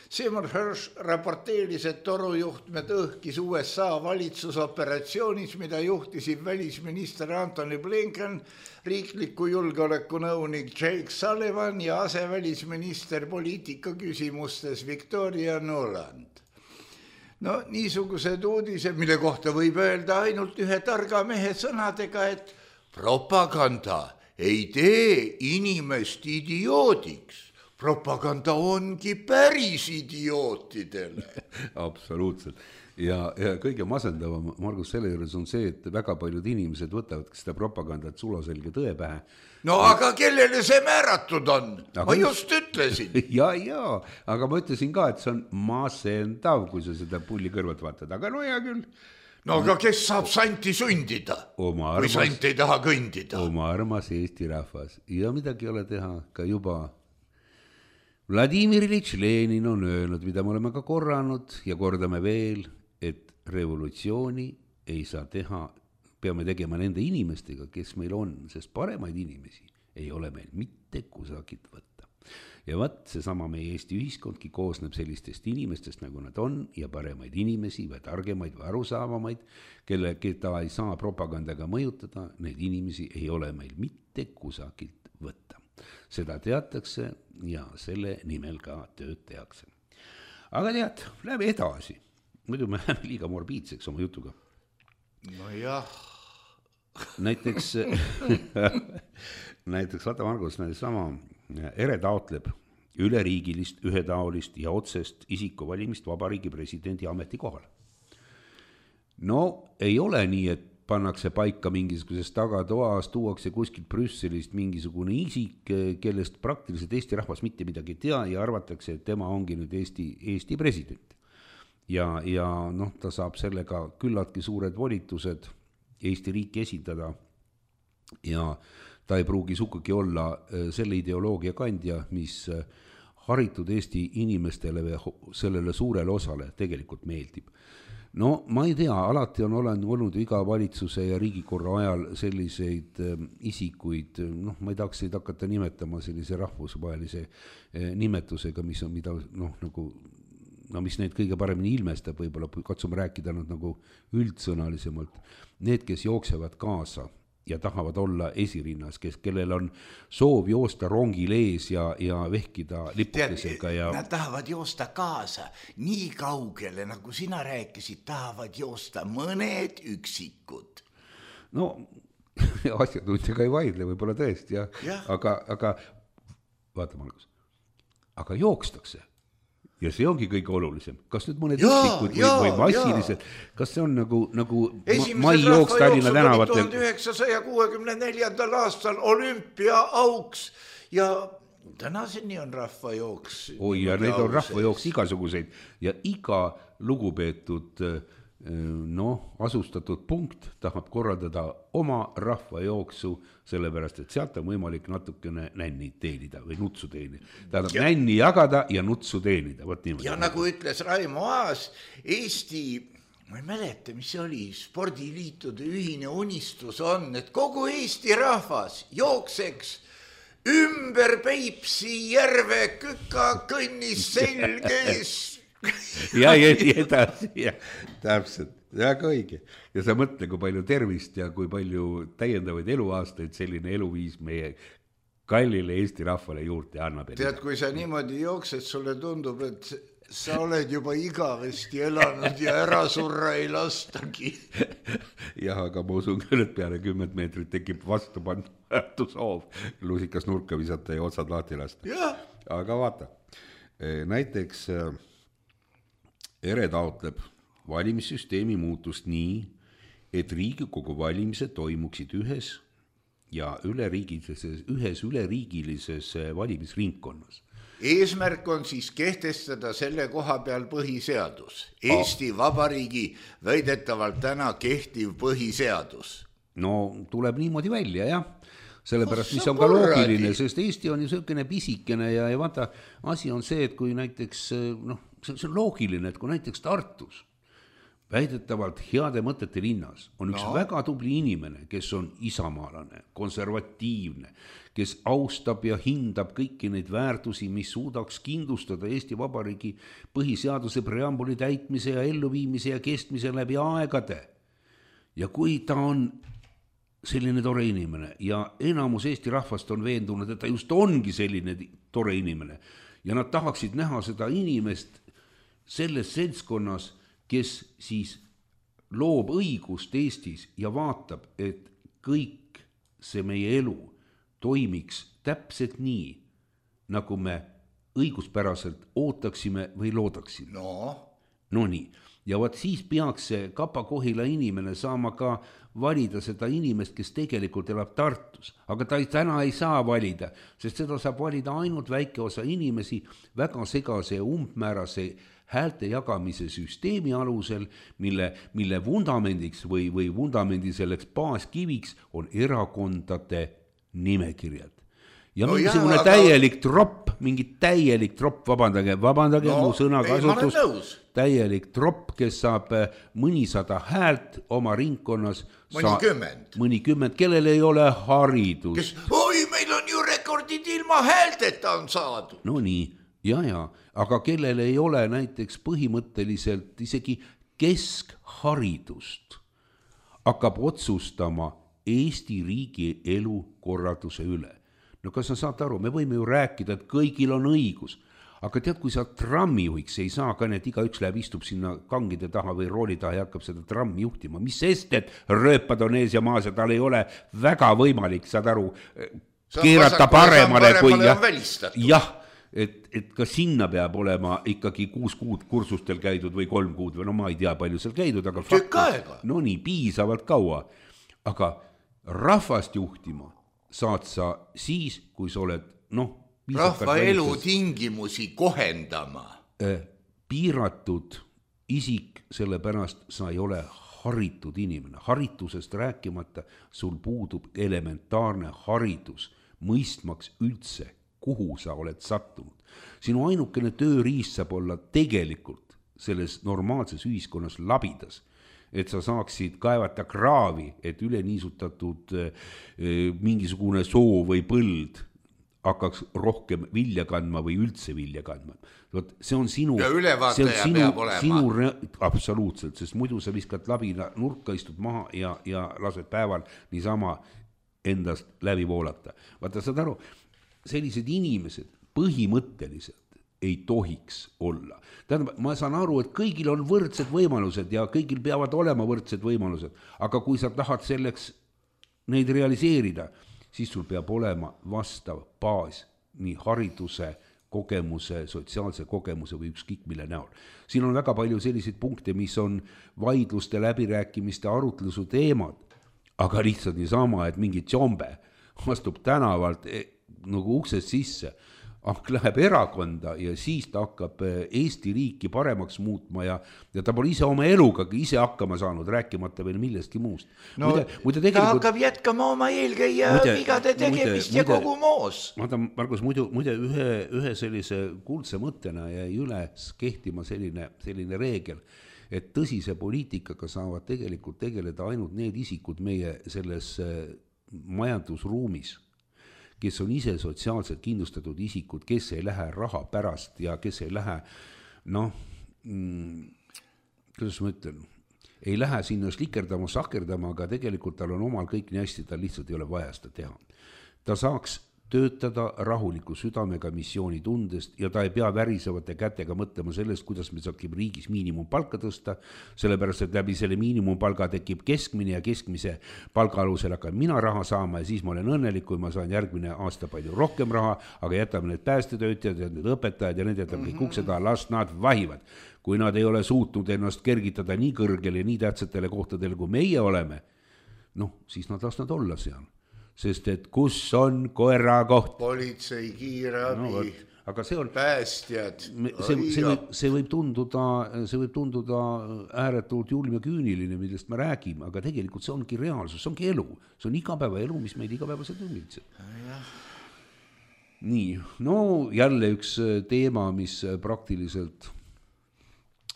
Seymour Hersh raporteeris, et torujuhtmed õhkis U S A valitsusoperatsioonis, mida juhtisid välisminister Antony Blinken, riikliku julgeolekunõunik Jake Sullivan ja asevälisminister poliitika küsimustes Victoria Nuland. No niisugused uudised, mille kohta võib öelda ainult ühe targa mehe sõnadega, et propaganda ei tee inimest idioodiks. Propaganda ongi päris idiootidele.
Absoluutselt. Ja, ja kõige masendavam, Margus, selle juures on see, et väga paljud inimesed võtavad seda propagandat sulaselge tõe pähe.
No ja, aga kellele see määratud on? Aga ma just ütlesin.
Ja, ja, aga ma ütlesin ka, et see on masendav, kui sa seda pulli kõrvalt vaatad. Aga no hea küll.
No aga kes saab santi sundida,
armas,
kui sant ei taha kõndida?
Oma armas Eesti rahvas. Ja midagi ei ole teha ka juba Vladimir Iljitš Lenin on öelnud, mida me oleme ka korranud ja kordame veel, et revolutsiooni ei saa teha, peame tegema nende inimestega, kes meil on, sest paremaid inimesi ei ole meil mitte kusagilt võtta. Ja vaat seesama meie Eesti ühiskondki koosneb sellistest inimestest, nagu nad on, ja paremaid inimesi või targemaid või arusaavamaid, kelle, keda ei saa propagandaga mõjutada, neid inimesi ei ole meil mitte kusagilt võtta. Seda teatakse ja selle nimel ka tööd tehakse. Aga tead, läbi edasi. Muidu me läheme liiga morbiidseks oma jutuga.
No jah.
Näiteks, näiteks vaata Margus, sama ere taotleb üleriigilist, ühetaolist ja otsest isikuvalimist vabariigi presidendi ametikohal. No ei ole nii, et pannakse paika mingisugusest tagatoas, tuuakse kuskilt Brüsselist mingisugune isik, kellest praktiliselt Eesti rahvas mitte midagi ei tea ja arvatakse, et tema ongi nüüd Eesti, Eesti president. Ja, ja noh, ta saab sellega küllaltki suured volitused Eesti riiki esindada ja ta ei pruugi sugugi olla selle ideoloogia kandja, mis haritud Eesti inimestele või sellele suurele osale tegelikult meeldib. No ma ei tea, alati on olnud iga valitsuse ja riigikorra ajal selliseid isikuid, noh ma ei tahaks neid hakata nimetama sellise rahvusvahelise nimetusega, mis on mida, noh nagu, no mis neid kõige paremini ilmestab, võib-olla katsume rääkida nad nagu üldsõnalisemalt, need, kes jooksevad kaasa ja tahavad olla esirinnas, kes, kellel on soov joosta rongil ees ja, ja vehkida lipukesega. Ja...
Nad tahavad joosta kaasa nii kaugele, nagu sina rääkisid, tahavad joosta mõned üksikud.
No, asjatundjaga ei vaidle, võib-olla tõesti, jah. Ja. Aga, aga vaata, Margus, aga jookstakse ja see ongi kõige olulisem, kas nüüd mõned üksikud või, või massilised, kas see on nagu, nagu mai jooks Tallinna tänavatel.
tuhande üheksasaja kuuekümne neljandal aastal olümpiaauks ja tänaseni on rahvajooks.
Oi, ja neid on rahvajooks igasuguseid ja iga lugupeetud noh, asustatud punkt tahab korraldada oma rahvajooksu, sellepärast, et sealt on võimalik natukene nänni teenida või nutsu teenida. Tähendab ja, nänni jagada ja nutsu teenida.
Ja nagu ütles Raimo Aas, Eesti, ma ei mäleta, mis see oli, spordiliitude ühine unistus on, et kogu Eesti rahvas jookseks ümber Peipsi järve küka kõnnis selges.
ja, ja, ja edasi, ja täpselt, väga õige. Ja sa mõtle, kui palju tervist ja kui palju täiendavaid eluaastaid selline eluviis meie kallile Eesti rahvale juurde annab.
Tead, kui sa niimoodi jooksed, sulle tundub, et sa oled juba igavesti elanud ja ära surra ei lastagi.
jah, aga ma usun küll, et peale kümmet meetrit tekib vastupandmatu soov lusikas nurka visata ja otsad lahti lasta. Aga vaata, näiteks ERE taotleb valimissüsteemi muutust nii, et Riigikogu valimised toimuksid ühes ja üleriigilises, ühes üleriigilises valimisringkonnas.
Eesmärk on siis kehtestada selle koha peal põhiseadus. Eesti Vabariigi väidetavalt täna kehtiv põhiseadus.
No tuleb niimoodi välja, jah. Sellepärast, mis on ka loogiline, sest Eesti on ju selline pisikene ja, ja vaata, asi on see, et kui näiteks, noh, see on loogiline, et kui näiteks Tartus väidetavalt heade mõtete linnas on üks no. väga tubli inimene, kes on isamaalane, konservatiivne, kes austab ja hindab kõiki neid väärtusi, mis suudaks kindlustada Eesti Vabariigi põhiseaduse preambuli täitmise ja elluviimise ja kestmise läbi aegade. Ja kui ta on selline tore inimene ja enamus Eesti rahvast on veendunud, et ta just ongi selline tore inimene ja nad tahaksid näha seda inimest selles seltskonnas, kes siis loob õigust Eestis ja vaatab, et kõik see meie elu toimiks täpselt nii, nagu me õiguspäraselt ootaksime või loodaksime.
No,
no nii. Ja vaat siis peaks see Kapa-Kohila inimene saama ka valida seda inimest, kes tegelikult elab Tartus. Aga ta täna ei saa valida, sest seda saab valida ainult väike osa inimesi väga segase ja umbmäärase häälte jagamise süsteemi alusel, mille, mille vundamendiks või, või vundamendi selleks baaskiviks on erakondade nimekirjad. Ja no mingisugune jah, täielik aga... tropp, mingi täielik tropp, vabandage, vabandage no, mu sõnakasutus, täielik tropp, kes saab mõnisada häält oma ringkonnas.
Mõnikümmend.
Sa... Mõnikümmend, kellel ei ole haridus.
Kes... Oi, meil on ju rekordid ilma häälteta on saadud.
No nii, ja, ja, aga kellel ei ole näiteks põhimõtteliselt isegi keskharidust, hakkab otsustama Eesti riigi elu korralduse üle. No kas sa saad aru, me võime ju rääkida, et kõigil on õigus, aga tead, kui sa trammijuhiks ei saa ka, et iga üks läheb istub sinna kangide taha või rooli taha ja hakkab seda trammi juhtima, mis sest, et rööpad on ees ja maas ja tal ei ole väga võimalik, saad aru, keerata paremale kui jah, jah, et, et ka sinna peab olema ikkagi kuus kuud kursustel käidud või kolm kuud või no ma ei tea, palju seal käidud, aga
fakti,
no nii, piisavalt kaua, aga rahvast juhtima saad sa siis, kui sa oled, noh,
rahva elu tingimusi kohendama.
Piiratud isik, sellepärast sa ei ole haritud inimene. Haritusest rääkimata sul puudub elementaarne haridus, mõistmaks üldse, kuhu sa oled sattunud. Sinu ainukene tööriist saab olla tegelikult selles normaalses ühiskonnas labidas, et sa saaksid kaevata kraavi, et üle niisutatud eh, mingisugune soo või põld hakkaks rohkem vilja kandma või üldse vilja kandma. Võt, see on sinu...
Ja ülevaataja sinu, peab olema.
Sinu, absoluutselt, sest muidu sa viskad labina nurka, istud maha ja, ja lased päeval niisama endast läbi voolata. Vaata, saad aru, sellised inimesed põhimõtteliselt ei tohiks olla. Tähendab, ma saan aru, et kõigil on võrdsed võimalused ja kõigil peavad olema võrdsed võimalused, aga kui sa tahad selleks neid realiseerida, siis sul peab olema vastav baas nii hariduse kogemuse, sotsiaalse kogemuse või ükskõik mille näol. Siin on väga palju selliseid punkte, mis on vaidluste, läbirääkimiste, arutlusu teemad, aga lihtsalt niisama, et mingi tšombe astub tänavalt nagu uksest sisse, läheb erakonda ja siis ta hakkab Eesti riiki paremaks muutma ja, ja ta pole ise oma eluga ise hakkama saanud, rääkimata veel millestki muust.
No muide, muide tegelikult... ta hakkab jätkama oma eelkäija vigade tegemist muide, ja kogu moos.
Vaata, Margus, muidu, muide ühe, ühe sellise kuldse mõttena jäi üles kehtima selline, selline reegel, et tõsise poliitikaga saavad tegelikult tegeleda ainult need isikud meie selles majandusruumis, kes on ise sotsiaalselt kindlustatud isikud, kes ei lähe raha pärast ja kes ei lähe, noh, kuidas ma ütlen, ei lähe sinna slikerdama, sakerdama, aga tegelikult tal on omal kõik nii hästi, tal lihtsalt ei ole vaja seda teha. Ta saaks töötada rahuliku südamega missiooni tundest ja ta ei pea värisevate kätega mõtlema sellest, kuidas me saakime riigis miinimumpalka tõsta, sellepärast, et läbi selle miinimumpalga tekib keskmine ja keskmise palga alusel hakkan mina raha saama ja siis ma olen õnnelik, kui ma saan järgmine aasta palju rohkem raha, aga jätame need päästetöötajad ja need õpetajad ja need jätame kõik ukseda, las nad vahivad. Kui nad ei ole suutnud ennast kergitada nii kõrgele, nii tähtsatele kohtadele, kui meie oleme, noh, siis nad las nad olla seal. Sest et kus on koera koht?
Politsei, kiirabi, no,
aga see on,
päästjad.
See, see, võib, see, võib tunduda, see võib tunduda ääretult julm ja küüniline, millest me räägime, aga tegelikult see ongi reaalsus, see ongi elu. See on igapäeva elu, mis meid igapäevaselt ümbritseb. Nii, no jälle üks teema, mis praktiliselt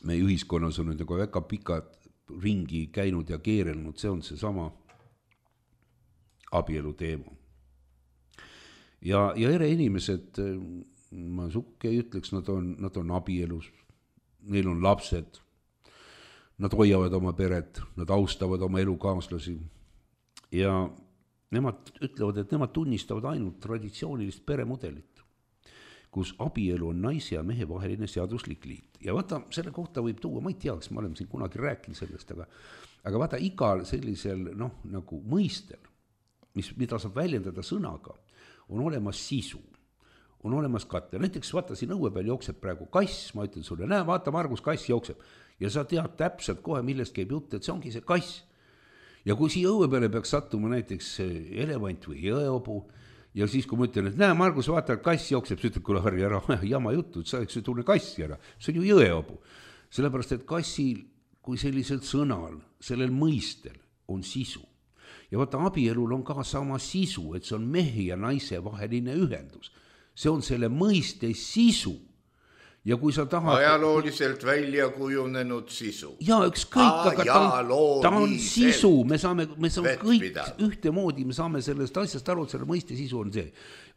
meie ühiskonnas on nüüd väga pikad ringi käinud ja keerelnud, see on see sama abielu teema. Ja, ja ere inimesed, ma sukke ei ütleks, nad on, nad on abielus, neil on lapsed, nad hoiavad oma peret, nad austavad oma elukaaslasi ja nemad ütlevad, et nemad tunnistavad ainult traditsioonilist peremudelit, kus abielu on naise ja mehe vaheline seaduslik liit. Ja vaata, selle kohta võib tuua, ma ei tea, kas ma olen siin kunagi rääkinud sellest, aga, aga vaata igal sellisel, noh, nagu mõistel, mis, mida saab väljendada sõnaga, on olemas sisu, on olemas katte. Näiteks vaata, siin õue peal jookseb praegu kass, ma ütlen sulle, näe, vaata, Margus, kass jookseb. Ja sa tead täpselt kohe, millest käib jutt, et see ongi see kass. Ja kui siia õue peale peaks sattuma näiteks elevant või jõeobu, ja siis kui ma ütlen, et näe, Margus, vaata, kass jookseb, sa ütled, kuule, Harri, ära jama juttu, sa eks tunne kassi ära. See on ju jõeobu. Sellepärast, et kassil, kui sellisel sõnal, sellel mõistel on sisu, ja vaata, abielul on ka sama sisu, et see on mehe ja naise vaheline ühendus. See on selle mõiste sisu. Ja kui sa tahad...
Ajalooliselt välja kujunenud sisu.
Ja ükskõik, aga ta on, ta on sisu. Me saame, me saame kõik ühte moodi, me saame sellest asjast aru, et selle mõiste sisu on see.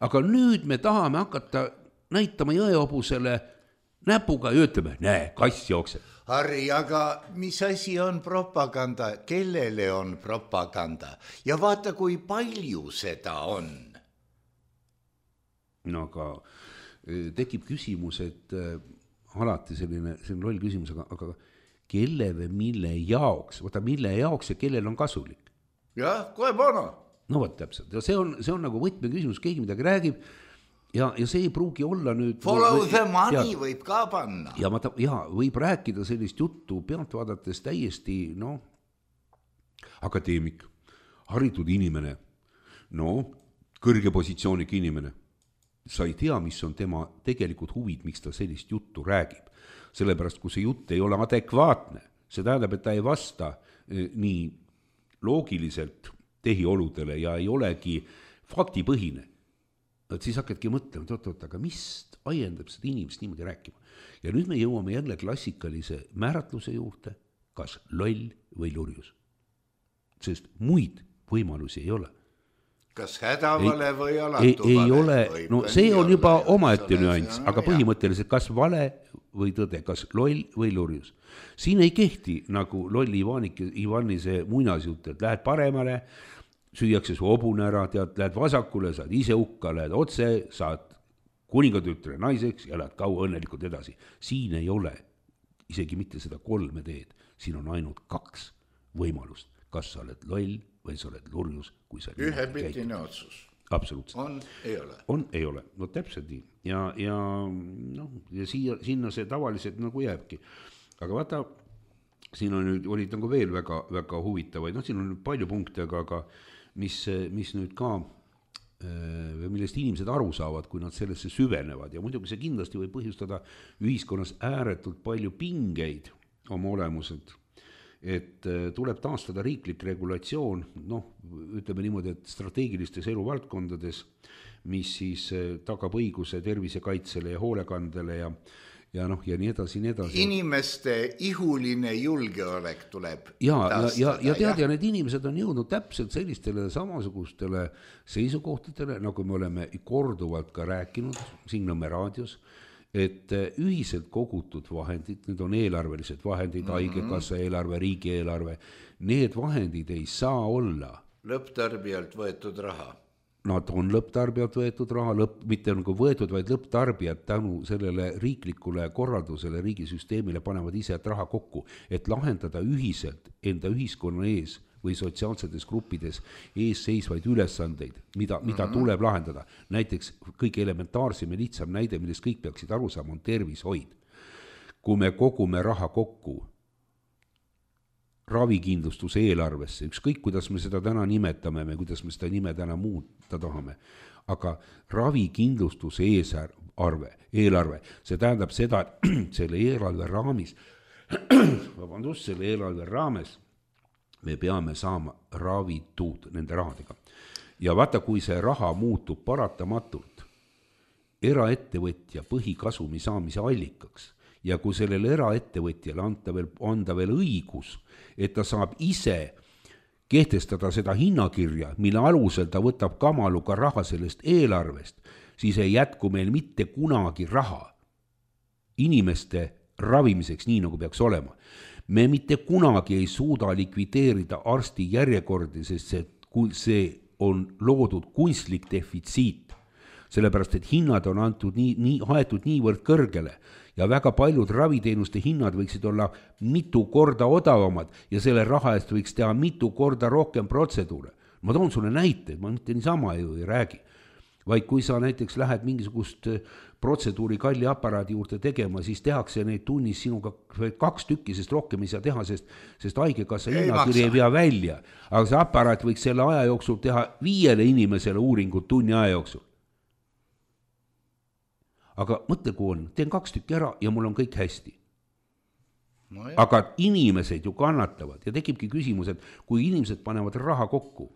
Aga nüüd me tahame hakata näitama jõeobusele näpuga ja ütleme, näe, kass jookseb.
Harri, aga mis asi on propaganda? Kellele on propaganda? Ja vaata, kui palju seda on.
No aga tekib küsimus, et alati selline, selline roll küsimus, aga, aga kelle või mille jaoks, vaata mille jaoks ja kellel on kasulik?
Jah, kohe pana.
No võt täpselt, ja see on, see on nagu võtme küsimus, keegi midagi räägib, Ja, ja see ei pruugi olla nüüd...
Follow või, the money ja, võib ka panna.
Ja, ma ta, ja võib rääkida sellist juttu pealt vaadates täiesti, no, akadeemik, haritud inimene, no, kõrge positsiooniga inimene. Sa ei tea, mis on tema tegelikult huvid, miks ta sellist juttu räägib. Sellepärast, kui see jutt ei ole adekvaatne, see tähendab, et ta ei vasta eh, nii loogiliselt tehioludele ja ei olegi faktipõhine. Et siis hakkadki mõtlema, et oot, oot, aga mis ajendab seda inimest niimoodi rääkima. Ja nüüd me jõuame jälle klassikalise määratluse juurde, kas loll või lurjus. Sest muid võimalusi ei ole.
Kas hädavale ei, või alatu
ei, ei vale? Ole, no see on juba omaette nüanss, aga põhimõtteliselt kas vale või tõde, kas loll või lurjus. Siin ei kehti nagu lolli Ivanik, Ivani see muinasjutt, et lähed paremale, süüakse su hobune ära, tead, lähed vasakule, saad ise hukka, lähed otse, saad kuningatütre naiseks ja lähed kaua õnnelikult edasi. Siin ei ole isegi mitte seda kolme teed, siin on ainult kaks võimalust. Kas sa oled loll või sa oled lurjus, kui sa
ühepiltine otsus.
absoluutselt.
on, ei ole.
on, ei ole, no täpselt nii ja, ja noh, ja siia, sinna see tavaliselt nagu jääbki, aga vaata, siin on nüüd, olid nagu veel väga, väga huvitavaid, noh, siin on palju punkte, aga, aga mis, mis nüüd ka, millest inimesed aru saavad, kui nad sellesse süvenevad ja muidugi see kindlasti võib põhjustada ühiskonnas ääretult palju pingeid oma olemuselt, et tuleb taastada riiklik regulatsioon, noh, ütleme niimoodi, et strateegilistes eluvaldkondades, mis siis tagab õiguse tervisekaitsele ja hoolekandele ja ja noh, ja nii edasi, nii edasi.
Inimeste ihuline julgeolek tuleb
ja, taastada. Ja, ja, ja tead, ja need inimesed on jõudnud täpselt sellistele samasugustele seisukohtadele, nagu me oleme korduvalt ka rääkinud siin Nõmme raadios, et ühiselt kogutud vahendid, need on eelarvelised vahendid, mm-hmm. haigekassa eelarve, riigieelarve, need vahendid ei saa olla
lõpptarbijalt võetud raha.
Nad on lõpptarbijalt võetud raha, lõpp, mitte nagu võetud, vaid lõpptarbijad tänu sellele riiklikule korraldusele, riigisüsteemile panevad ise raha kokku, et lahendada ühiselt enda ühiskonna ees või sotsiaalsetes gruppides ees seisvaid ülesandeid, mida, mida mm-hmm. tuleb lahendada. Näiteks kõige elementaarsem ja lihtsam näide, millest kõik peaksid aru saama, on tervishoid. Kui me kogume raha kokku ravikindlustuse eelarvesse, ükskõik kuidas me seda täna nimetame, me kuidas me seda nime täna muuta tahame, aga ravikindlustuse eesarve, eelarve, see tähendab seda, et selle eelarve raamis, vabandust, selle eelarve raames me peame saama ravitud nende rahadega. Ja vaata, kui see raha muutub paratamatult eraettevõtja põhikasumi saamise allikaks, ja kui sellele eraettevõtjale anda veel, anda veel õigus, et ta saab ise kehtestada seda hinnakirja, mille alusel ta võtab kamaluga raha sellest eelarvest, siis ei jätku meil mitte kunagi raha inimeste ravimiseks, nii nagu peaks olema. Me mitte kunagi ei suuda likvideerida arsti järjekordi, sest see, see on loodud kunstlik defitsiit, sellepärast et hinnad on antud nii, nii, haetud niivõrd kõrgele ja väga paljud raviteenuste hinnad võiksid olla mitu korda odavamad ja selle raha eest võiks teha mitu korda rohkem protseduure. Ma toon sulle näite, ma mitte niisama ju ei räägi, vaid kui sa näiteks lähed mingisugust protseduuri kalli aparaadi juurde tegema, siis tehakse neid tunnis sinuga kaks tükki, sest rohkem ei saa teha, sest, sest haigekassa hinnakiri ei vea välja. Aga see aparaat võiks selle aja jooksul teha viiele inimesele uuringut tunni aja jooksul. Aga mõtle, kui on, teen kaks tükki ära ja mul on kõik hästi. No aga inimesed ju kannatavad ja tekibki küsimus, et kui inimesed panevad raha kokku,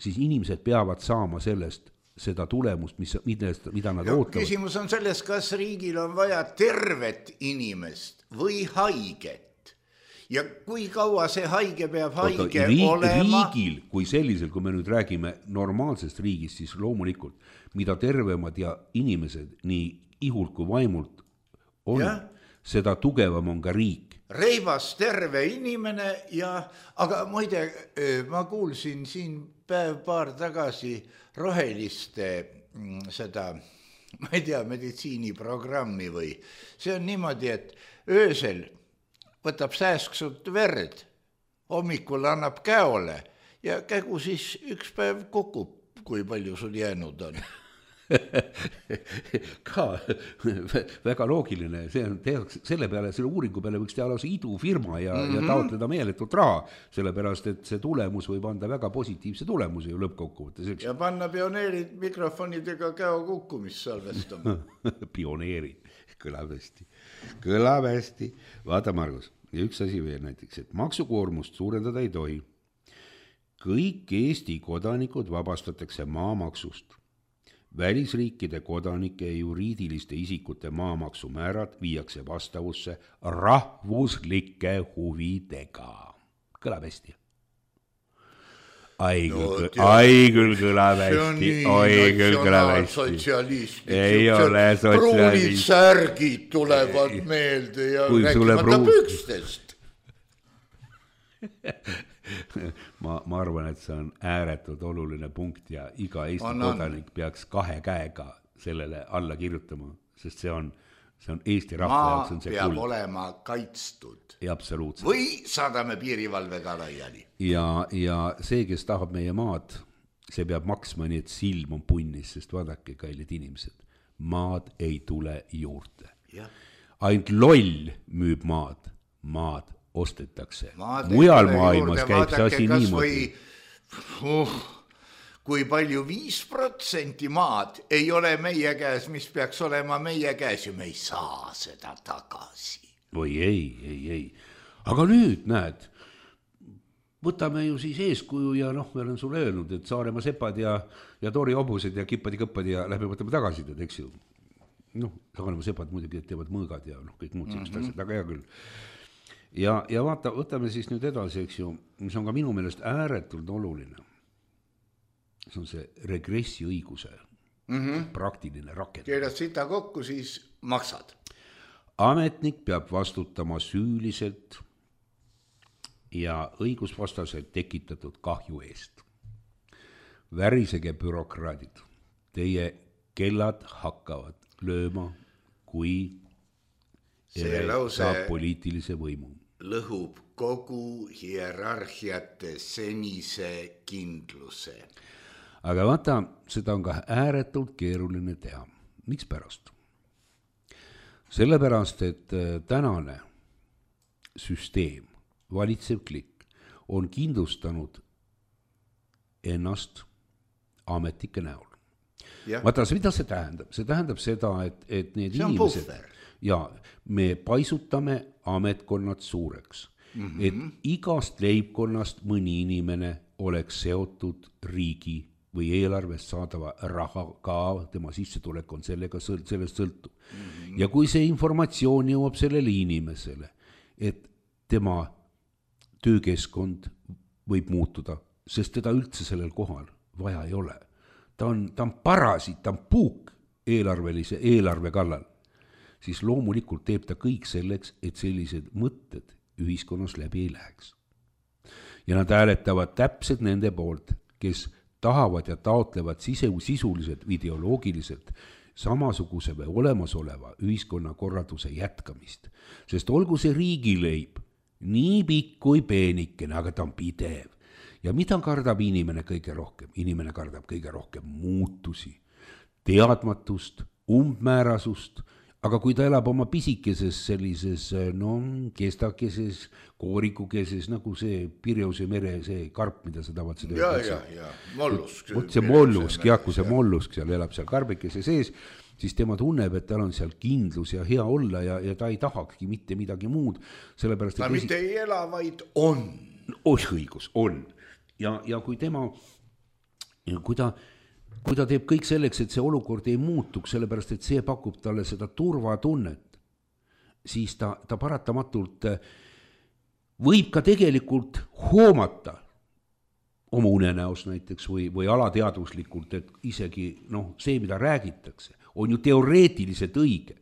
siis inimesed peavad saama sellest seda tulemust, mis, millest, mida nad ja ootavad.
Küsimus on selles, kas riigil on vaja tervet inimest või haiget. Ja kui kaua see haige peab haige Oota, riik, olema?
Riigil, kui sellisel, kui me nüüd räägime normaalsest riigist, siis loomulikult, mida tervemad ja inimesed nii ihult kui vaimult on, ja? Seda tugevam on ka riik.
Reibas terve inimene ja, aga muide, ma kuulsin siin päev paar tagasi roheliste seda, ma ei tea, meditsiiniprogrammi või. See on niimoodi, et öösel võtab sääsksut verd, hommikul annab käole ja kägu siis üks päev kukub, kui palju sul jäänud on.
Ka väga loogiline, see on tehaks, selle peale, selle uuringu peale võiks teha lausa idufirma ja, mm-hmm. ja taotleda meeletult raha, sellepärast, et see tulemus võib anda väga positiivse tulemuse ju lõppkokkuvõttes.
Ja panna pioneerid mikrofonidega käo kukkumist salvestama.
Pioneerid, kõlab hästi, kõlab hästi. Vaata, Margus, ja üks asi veel näiteks, et maksukoormust suurendada ei tohi. Kõik Eesti kodanikud vabastatakse maamaksust. Välisriikide kodanike ja juriidiliste isikute maamaksumäärad viiakse vastavusse rahvuslike huvidega. Kõlab hästi. Ai küll, no, ai küll kõlab hästi, ai küll kõlab hästi. Ei ole sotsialist.
Pruunid särgid tulevad meelde ja rääkimata pükstest.
Ma, ma arvan, et see on ääretult oluline punkt ja iga Eesti on, kodanik on. Peaks kahe käega sellele alla kirjutama, sest see on, see on Eesti rahva jaoks on see
peab
kuld.
Olema kaitstud.
Ja absoluutselt.
Või saadame piirivalvega laiali.
Ja, ja see, kes tahab meie maad see peab maksma nii, et silm on punnis, sest vaadake, kallid inimesed, maad ei tule juurde. Ainult loll müüb maad, maad ostetakse. Maad mujal maailmas käib see asi niimoodi.
Uh, kui palju viis protsenti maad ei ole meie käes, mis peaks olema meie käes ja me ei saa seda tagasi.
Või ei, ei, ei. Aga nüüd näed, võtame ju siis eeskuju ja noh, me olen sulle öelnud, et Saaremaa sepad ja, ja Tori hobused ja kippad ja kõppad ja lähme võtame tagasi, eks ju. Noh, Saaremaa sepad muidugi teevad mõõgad ja noh, kõik muud sellist mm-hmm. asjad, aga hea küll. Ja, ja vaata, võtame siis nüüd edasi, eks ju, mis on ka minu meelest ääretult oluline. See on see regressiõiguse mm-hmm. praktiline rakendus.
Keerad sita kokku, siis maksad.
Ametnik peab vastutama süüliselt ja õigusvastaselt tekitatud kahju eest. Värisege bürokraadid. Teie kellad hakkavad lööma, kui
see lause
saab poliitilise võimu.
Lõhub kogu hierarhiate senise kindluse.
Aga vaata, seda on ka ääretult keeruline teha. Miks pärast? Sellepärast, et tänane süsteem, valitsev klikk, on kindlustanud ennast ametike näol. Ja. Vaata, mida see tähendab? See tähendab seda, et, et need
see
inimesed... Ja me paisutame ametkonnad suureks, mm-hmm. et igast leibkonnast mõni inimene oleks seotud riigi või eelarvest saadava raha ka, tema sissetulek on sellega, sellest sõltub. Mm-hmm. Ja kui see informatsioon jõuab sellele inimesele, et tema töökeskkond võib muutuda, sest teda üldse sellel kohal vaja ei ole. Ta on, ta on parasit, ta on puuk eelarvelise eelarve kallal. Siis loomulikult teeb ta kõik selleks, et sellised mõtted ühiskonnas läbi ei läheks. Ja nad hääletavad täpselt nende poolt, kes tahavad ja taotlevad sisuliselt, ideoloogiliselt samasuguse või olemasoleva ühiskonnakorralduse jätkamist. Sest olgu see riigileib nii pikk kui peenikene, aga ta on pidev. Ja mida kardab inimene kõige rohkem? Inimene kardab kõige rohkem muutusi, teadmatust, umbmäärasust. Aga kui ta elab oma pisikeses sellises, no, kestakeses, koorikukeses, nagu see Pirjause mere, see karp, mida sa tavad seda.
Ja, ja, ja, mollusk.
Vot see mollusk, jah, kui see mollusk seal elab seal karbikese sees, siis tema tunneb, et tal on seal kindlus ja hea olla ja, ja ta ei tahakski mitte midagi muud. Sellepärast,
ta esi... mitte ei ela, vaid on.
Oh, õigus, on. Ja, ja kui tema, kui ta... kui ta teeb kõik selleks, et see olukord ei muutuks, sellepärast, et see pakub talle seda turvatunnet, siis ta, ta paratamatult võib ka tegelikult hoomata oma unenäos näiteks või, või alateadvuslikult, et isegi noh, see, mida räägitakse, on ju teoreetiliselt õige.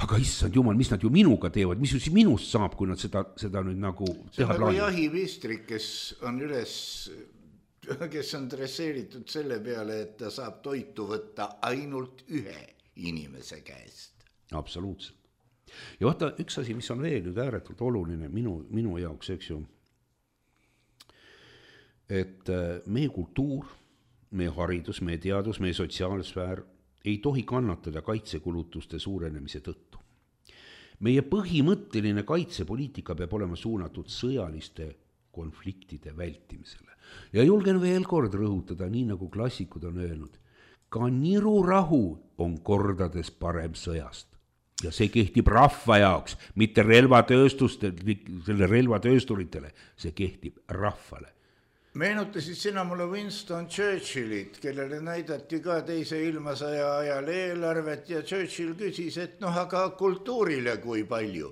Aga issand jumal, mis nad ju minuga teevad, mis ju siis minust saab, kui nad seda, seda nüüd nagu
see teha plaanib? See on nagu jahipistrik, kes on üles... kes on dresseeritud selle peale, et ta saab toitu võtta ainult ühe inimese käest.
Absoluutselt. Ja vaata, üks asi, mis on veel nüüd ääretult oluline minu, minu jaoks, eks ju, et meie kultuur, meie haridus, meie teadus, meie sotsiaalsfäär ei tohi kannatada kaitsekulutuste suurenemise tõttu. Meie põhimõtteline kaitsepoliitika peab olema suunatud sõjaliste konfliktide vältimisele. Ja julgen veel kord rõhutada, nii nagu klassikud on öelnud, ka nirurahu on kordades parem sõjast. Ja see kehtib rahva jaoks, mitte relvatööstustele, relvatöösturitele, see kehtib rahvale.
Meenutasid sina mulle Winston Churchillit, kellele näidati ka teise ilmasõja ajal eelarvet ja Churchill küsis, et noh, aga kultuurile kui palju.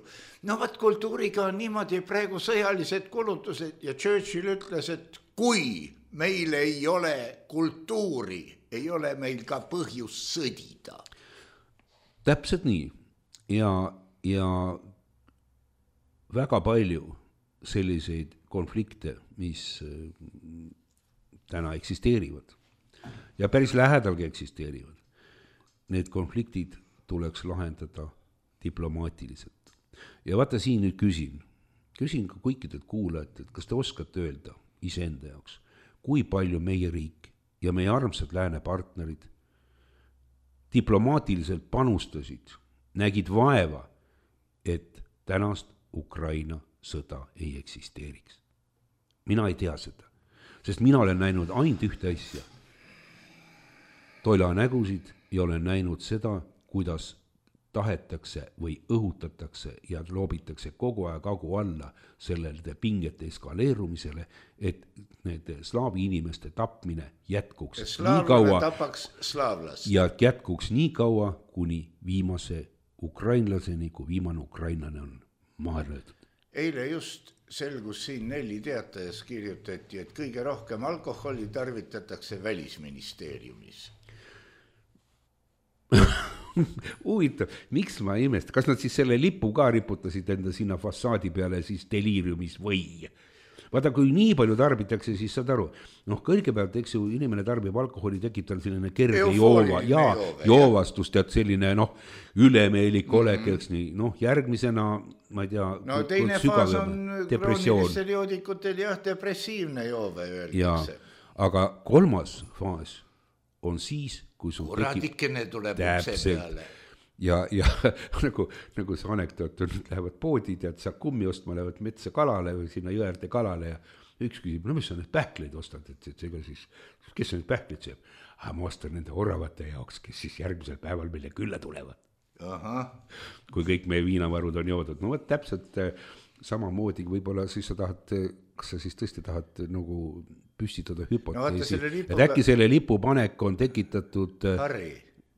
No vaat kultuuriga on niimoodi praegu sõjalised kulutused ja Churchill ütles, et kui meil ei ole kultuuri, ei ole meil ka põhjus sõdida.
Täpselt nii. Ja, ja väga palju selliseid konflikte, mis täna eksisteerivad ja päris lähedalgi eksisteerivad. Need konfliktid tuleks lahendada diplomaatiliselt. Ja vaata siin nüüd küsin, küsin ka kõikidelt kuulajat, et kas te oskate öelda iseenda jaoks, kui palju meie riik ja meie armsad lääne partnerid diplomaatiliselt panustasid, nägid vaeva, et tänast Ukraina sõda ei eksisteeriks. Mina ei tea seda, sest mina olen näinud ainult ühte asja. Toila nägusid ja olen näinud seda, kuidas tahetakse või õhutatakse ja loobitakse kogu aeg agu alla sellelde pingete eskaleerumisele, et need slaavi inimeste tapmine jätkuks nii kaua ja jätkuks nii kaua, kuni viimase ukrainlaseni, kui viimane ukrainlane on maha löödud.
Eile just selgus siin Nelli teatajas kirjutati, et kõige rohkem alkoholi tarvitatakse välisministeeriumis.
Huvitav, miks ma ei imesta, kas nad siis selle lipu ka riputasid enda sinna fassaadi peale siis deliiriumis või? Vaata, kui nii palju tarbitakse, siis saad aru, noh, kõigepealt, eks ju, inimene tarbib alkoholi, tekib tal selline kerge joova ja joovastus, tead selline, noh, ülemeelik olek, eks nii, noh, järgmisena, ma ei tea,
no teine faas on kroonilistel joodikutel jah, depressiivne joove öeldakse.
Aga kolmas faas on siis, kui sul
kuradikene tuleb ukse peale.
Ja, ja nagu, nagu see anekdoot on, lähevad poodi, tead, sa kummi ostma, lähevad metsa kalale või sinna jõerde kalale ja üks küsib, no mis sa need pähkleid ostad, et, et ega siis, kes sa need pähkleid sööb? Ah, ma ostan nende oravate jaoks, kes siis järgmisel päeval meile külla tulevad. Aha. Kui kõik meie viinavarud on joodud. No võt täpselt samamoodi, võib-olla siis sa tahad, kas sa siis tõesti tahad nagu püstitada hüpoteesi, no, lipu... et äkki selle lipupanek on tekitatud... Harri.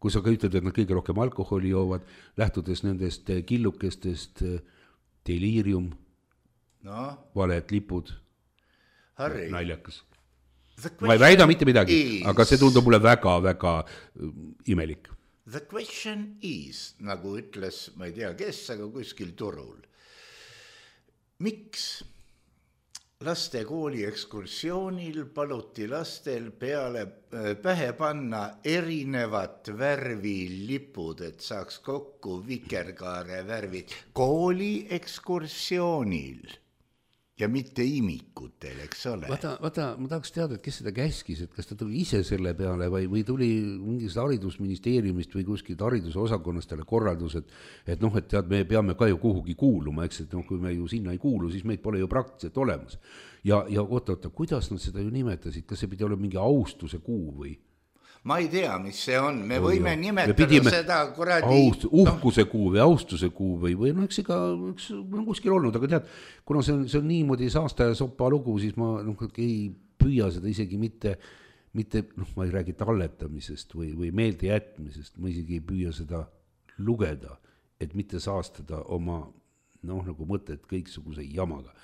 Kui sa ka ütled, et nad kõige rohkem alkoholi joovad, lähtudes nendest killukestest, deliirium, no. Valed lipud, Harri. Naljakas. Ma ei väida mitte midagi, is... aga see tundub mulle väga, väga imelik.
The question is, nagu ütles, ma ei tea kes, aga kuskil turul. Miks laste kooli ekskursioonil paluti lastel peale pähe panna erinevat värvi lipud, et saaks kokku vikerkaare värvid kooli ekskursioonil ja mitte imikutel, eks ole.
Vaata, vaata, ma tahaks teada, et kes seda käskis, et kas ta tuli ise selle peale või, või tuli mingist haridusministeeriumist või kuskilt haridusosakonnast talle korraldus, et, et noh, et tead, me peame ka ju kuhugi kuuluma, eks, et noh, kui me ju sinna ei kuulu, siis meid pole ju praktiliselt olemas. Ja, ja oota, oota, kuidas nad seda ju nimetasid, kas see pidi olema mingi austuse kuu või?
Ma ei tea, mis see on, me võime no, nimetada me seda kuradi...
Aust, uhkuse kuu või austuse kuu või, või no eks ega üks, on kuskil olnud, aga tead, kuna see on, see on niimoodi saasta ja sopa lugu, siis ma noh, ei püüa seda isegi mitte, mitte noh, ma ei räägi talletamisest või, või meelde jätmisest, ma isegi ei püüa seda lugeda, et mitte saastada oma noh, nagu mõtet kõiksuguse jamaga.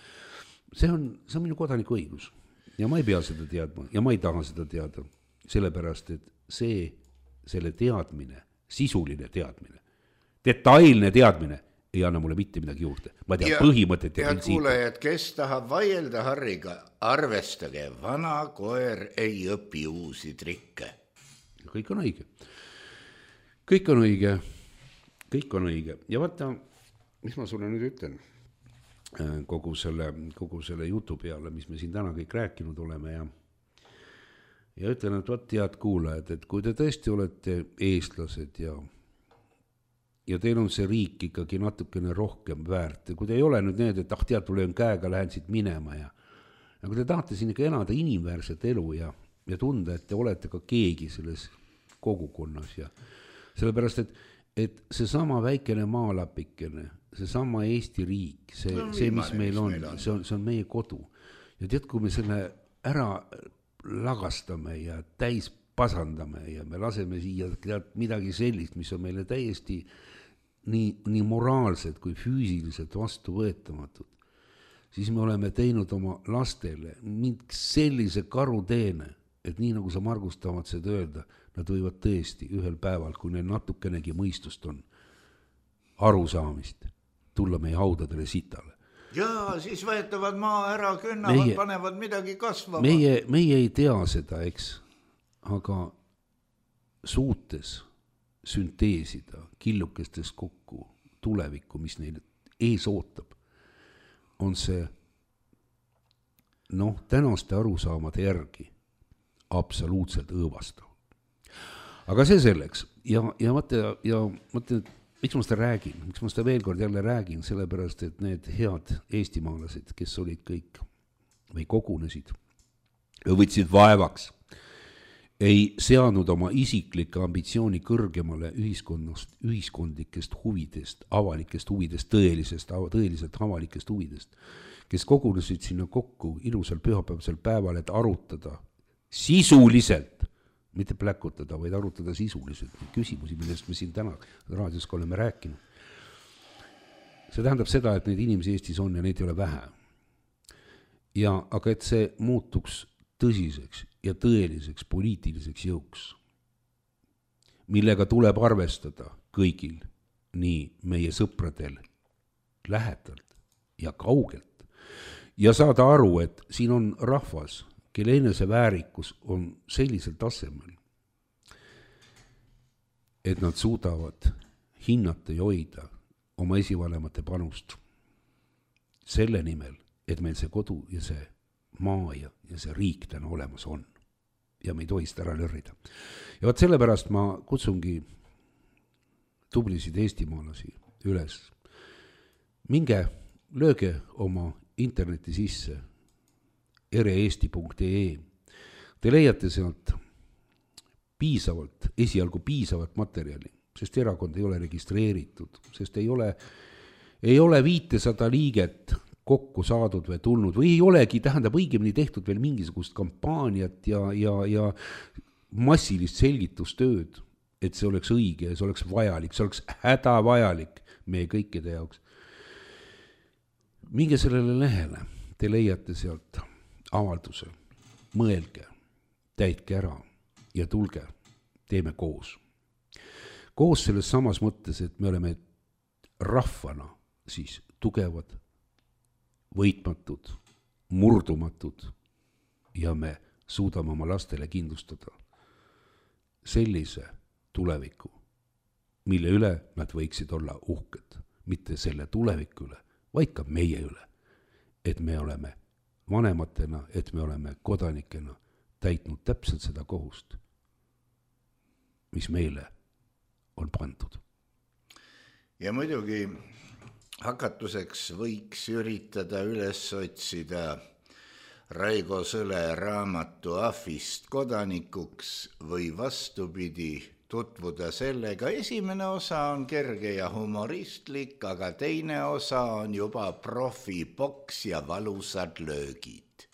See on, see on minu kodaniku õigus ja ma ei pea seda teadma ja ma ei taha seda teada. Sellepärast, et see, selle teadmine, sisuline teadmine, detailne teadmine ei anna mulle mitte midagi juurde. Ma tean ja, põhimõtet ja
printsiipi. Ja kuulejad, kes tahab vaielda Harriga, arvestage, vana koer ei õpi uusi trikke.
Kõik on õige. Kõik on õige. Kõik on õige. Ja vaata, mis ma sulle nüüd ütlen kogu selle, kogu selle jutu peale, mis me siin täna kõik rääkinud oleme ja Ja ütlen, et vaat head kuulajad, et kui te tõesti olete eestlased ja, ja teil on see riik ikkagi natukene rohkem väärt, kui te ei ole nüüd need, et ah tead, tulen käega, lähen siit minema ja, ja kui te tahate siin ikka elada inimväärset elu ja, ja tunda, et te olete ka keegi selles kogukonnas ja sellepärast, et, et see sama väikene maalapikene, see sama Eesti riik, see, no, see mis meil on, meil on. See on, see on meie kodu ja tead, kui me selle ära lagastame ja täis pasandame ja me laseme siia midagi sellist, mis on meile täiesti nii, nii moraalsed kui füüsiliselt vastuvõetamatud, siis me oleme teinud oma lastele mingi sellise karuteene, et nii nagu sa Margus tahad seda öelda, nad võivad tõesti ühel päeval, kui neil natukenegi mõistust on, arusaamist, tulla meie haudadele sitale.
Jaa, siis võetavad maa ära, künnavad, meie, panevad midagi kasvama.
Meie, meie ei tea seda, eks, aga suutes sünteesida killukestes kokku tulevikku, mis neil ees ootab, on see noh, tänaste arusaamade järgi absoluutselt õõvastav. Aga see selleks ja, ja mõtle, ja mõtle, miks ma seda räägin, miks ma seda veel kord jälle räägin, sellepärast, et need head eestimaalased, kes olid kõik või kogunesid ja võtsid vaevaks, ei seadnud oma isiklikke ambitsiooni kõrgemale ühiskonnast, ühiskondlikest huvidest, avalikest huvidest, tõelisest, tõeliselt avalikest huvidest, kes kogunesid sinna kokku ilusal pühapäevasel päeval, et arutada sisuliselt, mitte pläkutada, vaid arutada sisuliselt küsimusi, millest me siin täna raadios ka oleme rääkinud. See tähendab seda, et neid inimesi Eestis on ja neid ei ole vähe. Ja, aga et see muutuks tõsiseks ja tõeliseks poliitiliseks jõuks, millega tuleb arvestada kõigil, nii meie sõpradel, lähedalt ja kaugelt, ja saada aru, et siin on rahvas, kelle enese väärikus on sellisel tasemel, et nad suudavad hinnata ja hoida oma esivanemate panust selle nimel, et meil see kodu ja see maa ja, ja see riik täna olemas on. Ja me ei tohi seda ära lörrida. Ja vaat sellepärast ma kutsungi tublisid eestimaalasi üles. Minge, lööge oma interneti sisse ereeesti punkt ee. Te leiate sealt piisavalt, esialgu piisavat materjali, sest erakond ei ole registreeritud, sest ei ole, ei ole viitesada liiget kokku saadud või tulnud või ei olegi, tähendab õigemini tehtud veel mingisugust kampaaniat ja, ja, ja massilist selgitustööd, et see oleks õige ja see oleks vajalik, see oleks hädavajalik meie kõikide jaoks. Minge sellele lehele, te leiate sealt avalduse, mõelge, täitke ära ja tulge, teeme koos. Koos selles samas mõttes, et me oleme rahvana siis tugevad, võitmatud, murdumatud ja me suudame oma lastele kindlustada sellise tuleviku, mille üle nad võiksid olla uhked, mitte selle tuleviku üle, vaid ka meie üle, et me oleme vanematena, et me oleme kodanikena täitnud täpselt seda kohust, mis meile on pandud.
Ja muidugi hakatuseks võiks üritada üles otsida Raigo Sõle raamatu Ahvist kodanikuks või vastupidi tutvuda sellega. Esimene osa on kerge ja humoristlik, aga teine osa on juba profiboks ja valusad löögid.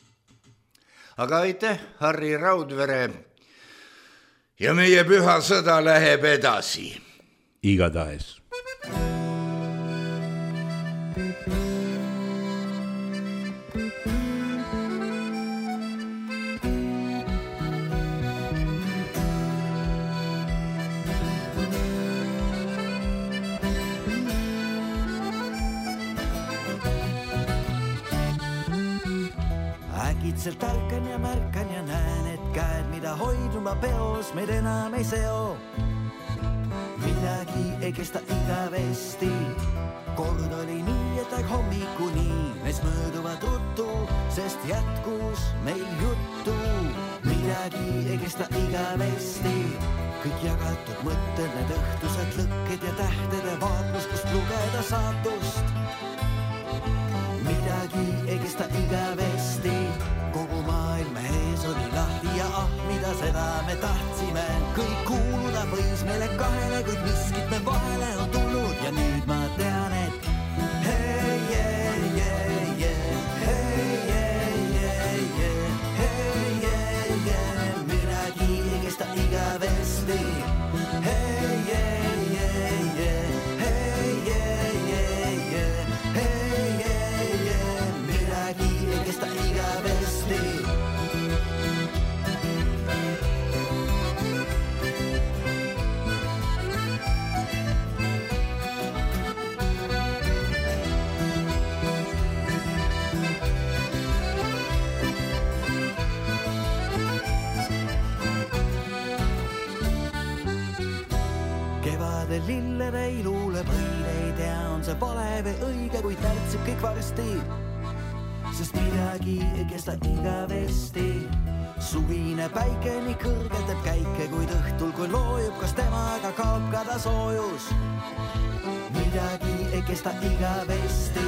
Aga aitäh, Harri Raudvere, ja meie püha sõda läheb edasi.
Igatahes.
Äkitselt ärkan ja märkan ja näen, et käed, mida hoiduma peos, meid enam ei seo. Midagi ei kesta igavesti, kord oli nii, et aeg hommikuni mees mööduvad ruttu, sest jätkus meil juttu. Midagi ei kesta igavesti, kõik jagatud mõtted, need õhtused lõkked ja tähtede vaatlus, kust lugeda saatust. Midagi ei kesta igavesti, kogu maailma ees oli lahti ja ah, mida seda me tahtsime. Kõik kuuluda võis meile kahele, kuid miskit me vahele on tulnud ja nüüd ma tean, et hei, hei, hei, hei, hei, hei, hei, hei, hei, midagi ei kesta igavesti. Hei, hei, hei, hei, hei, hei, hei, hei, midagi ei kesta igavesti. Kevade lillede ilule võin ei tea, on see vale või õige, kuid närtsib kõik varsti. sest midagi ei kesta igavesti. Suvine päike nii kõrgelt teeb käike, kuid õhtul kui loojub, kas temaga kaob ka ta soojus. Midagi ei kesta igavesti.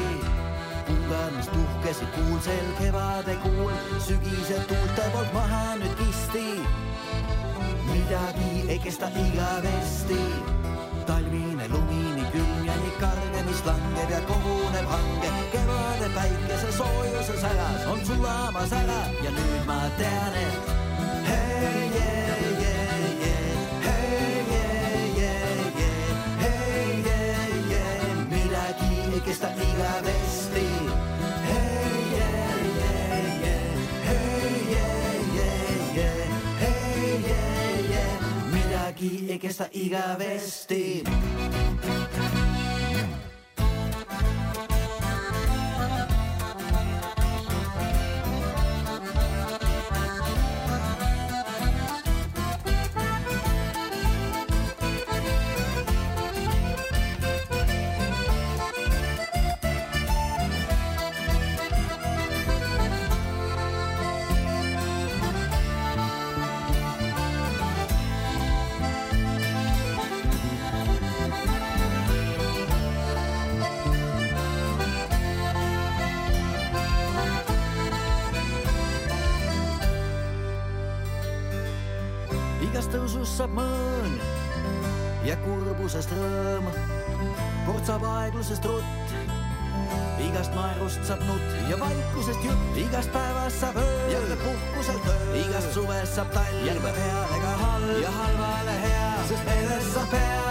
Pungarnast tuhkesid kuulsel kevade kuul, sügise tuulte poolt maha nüüd kisti. Midagi ei kesta igavesti. Talvine lumini külm ja nii karge, mis langeb ja koguneb hange. Kevade päikese soojuse säras on sulamas ära ja nüüd ma tean, et hei, jee, jee, jee, hei, jee, jee, jee, hei, jee, jee, midagi ei kesta igavesti. Hei, jee, jee, jee, hei, jee, jee, jee, hei, jee, jee, midagi ei kesta igavesti. Tõusus saab mõõn ja kurbusest rõõm, kord saab aeglusest rutt, igast naerust saab nutt ja vaikusest jutt, igast päevast saab öö, jälle puhkuselt öö, igast suvest saab talv, jälle heale ka halb ja halvale hea, sest meelest saab hea.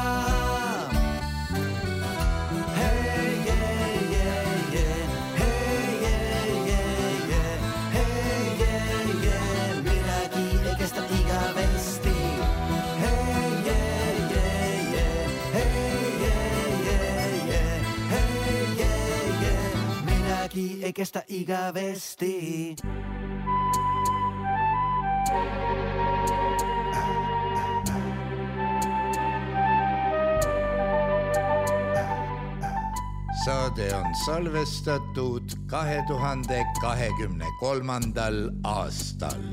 Hei, jee, jee, jee, hei, jee, jee, jee, hei, jee, jee, midagi ei kesta igavesti. Ei kestä igavesti.
Saade on salvestatud kahe tuhande kahekümne kolmandal aastal.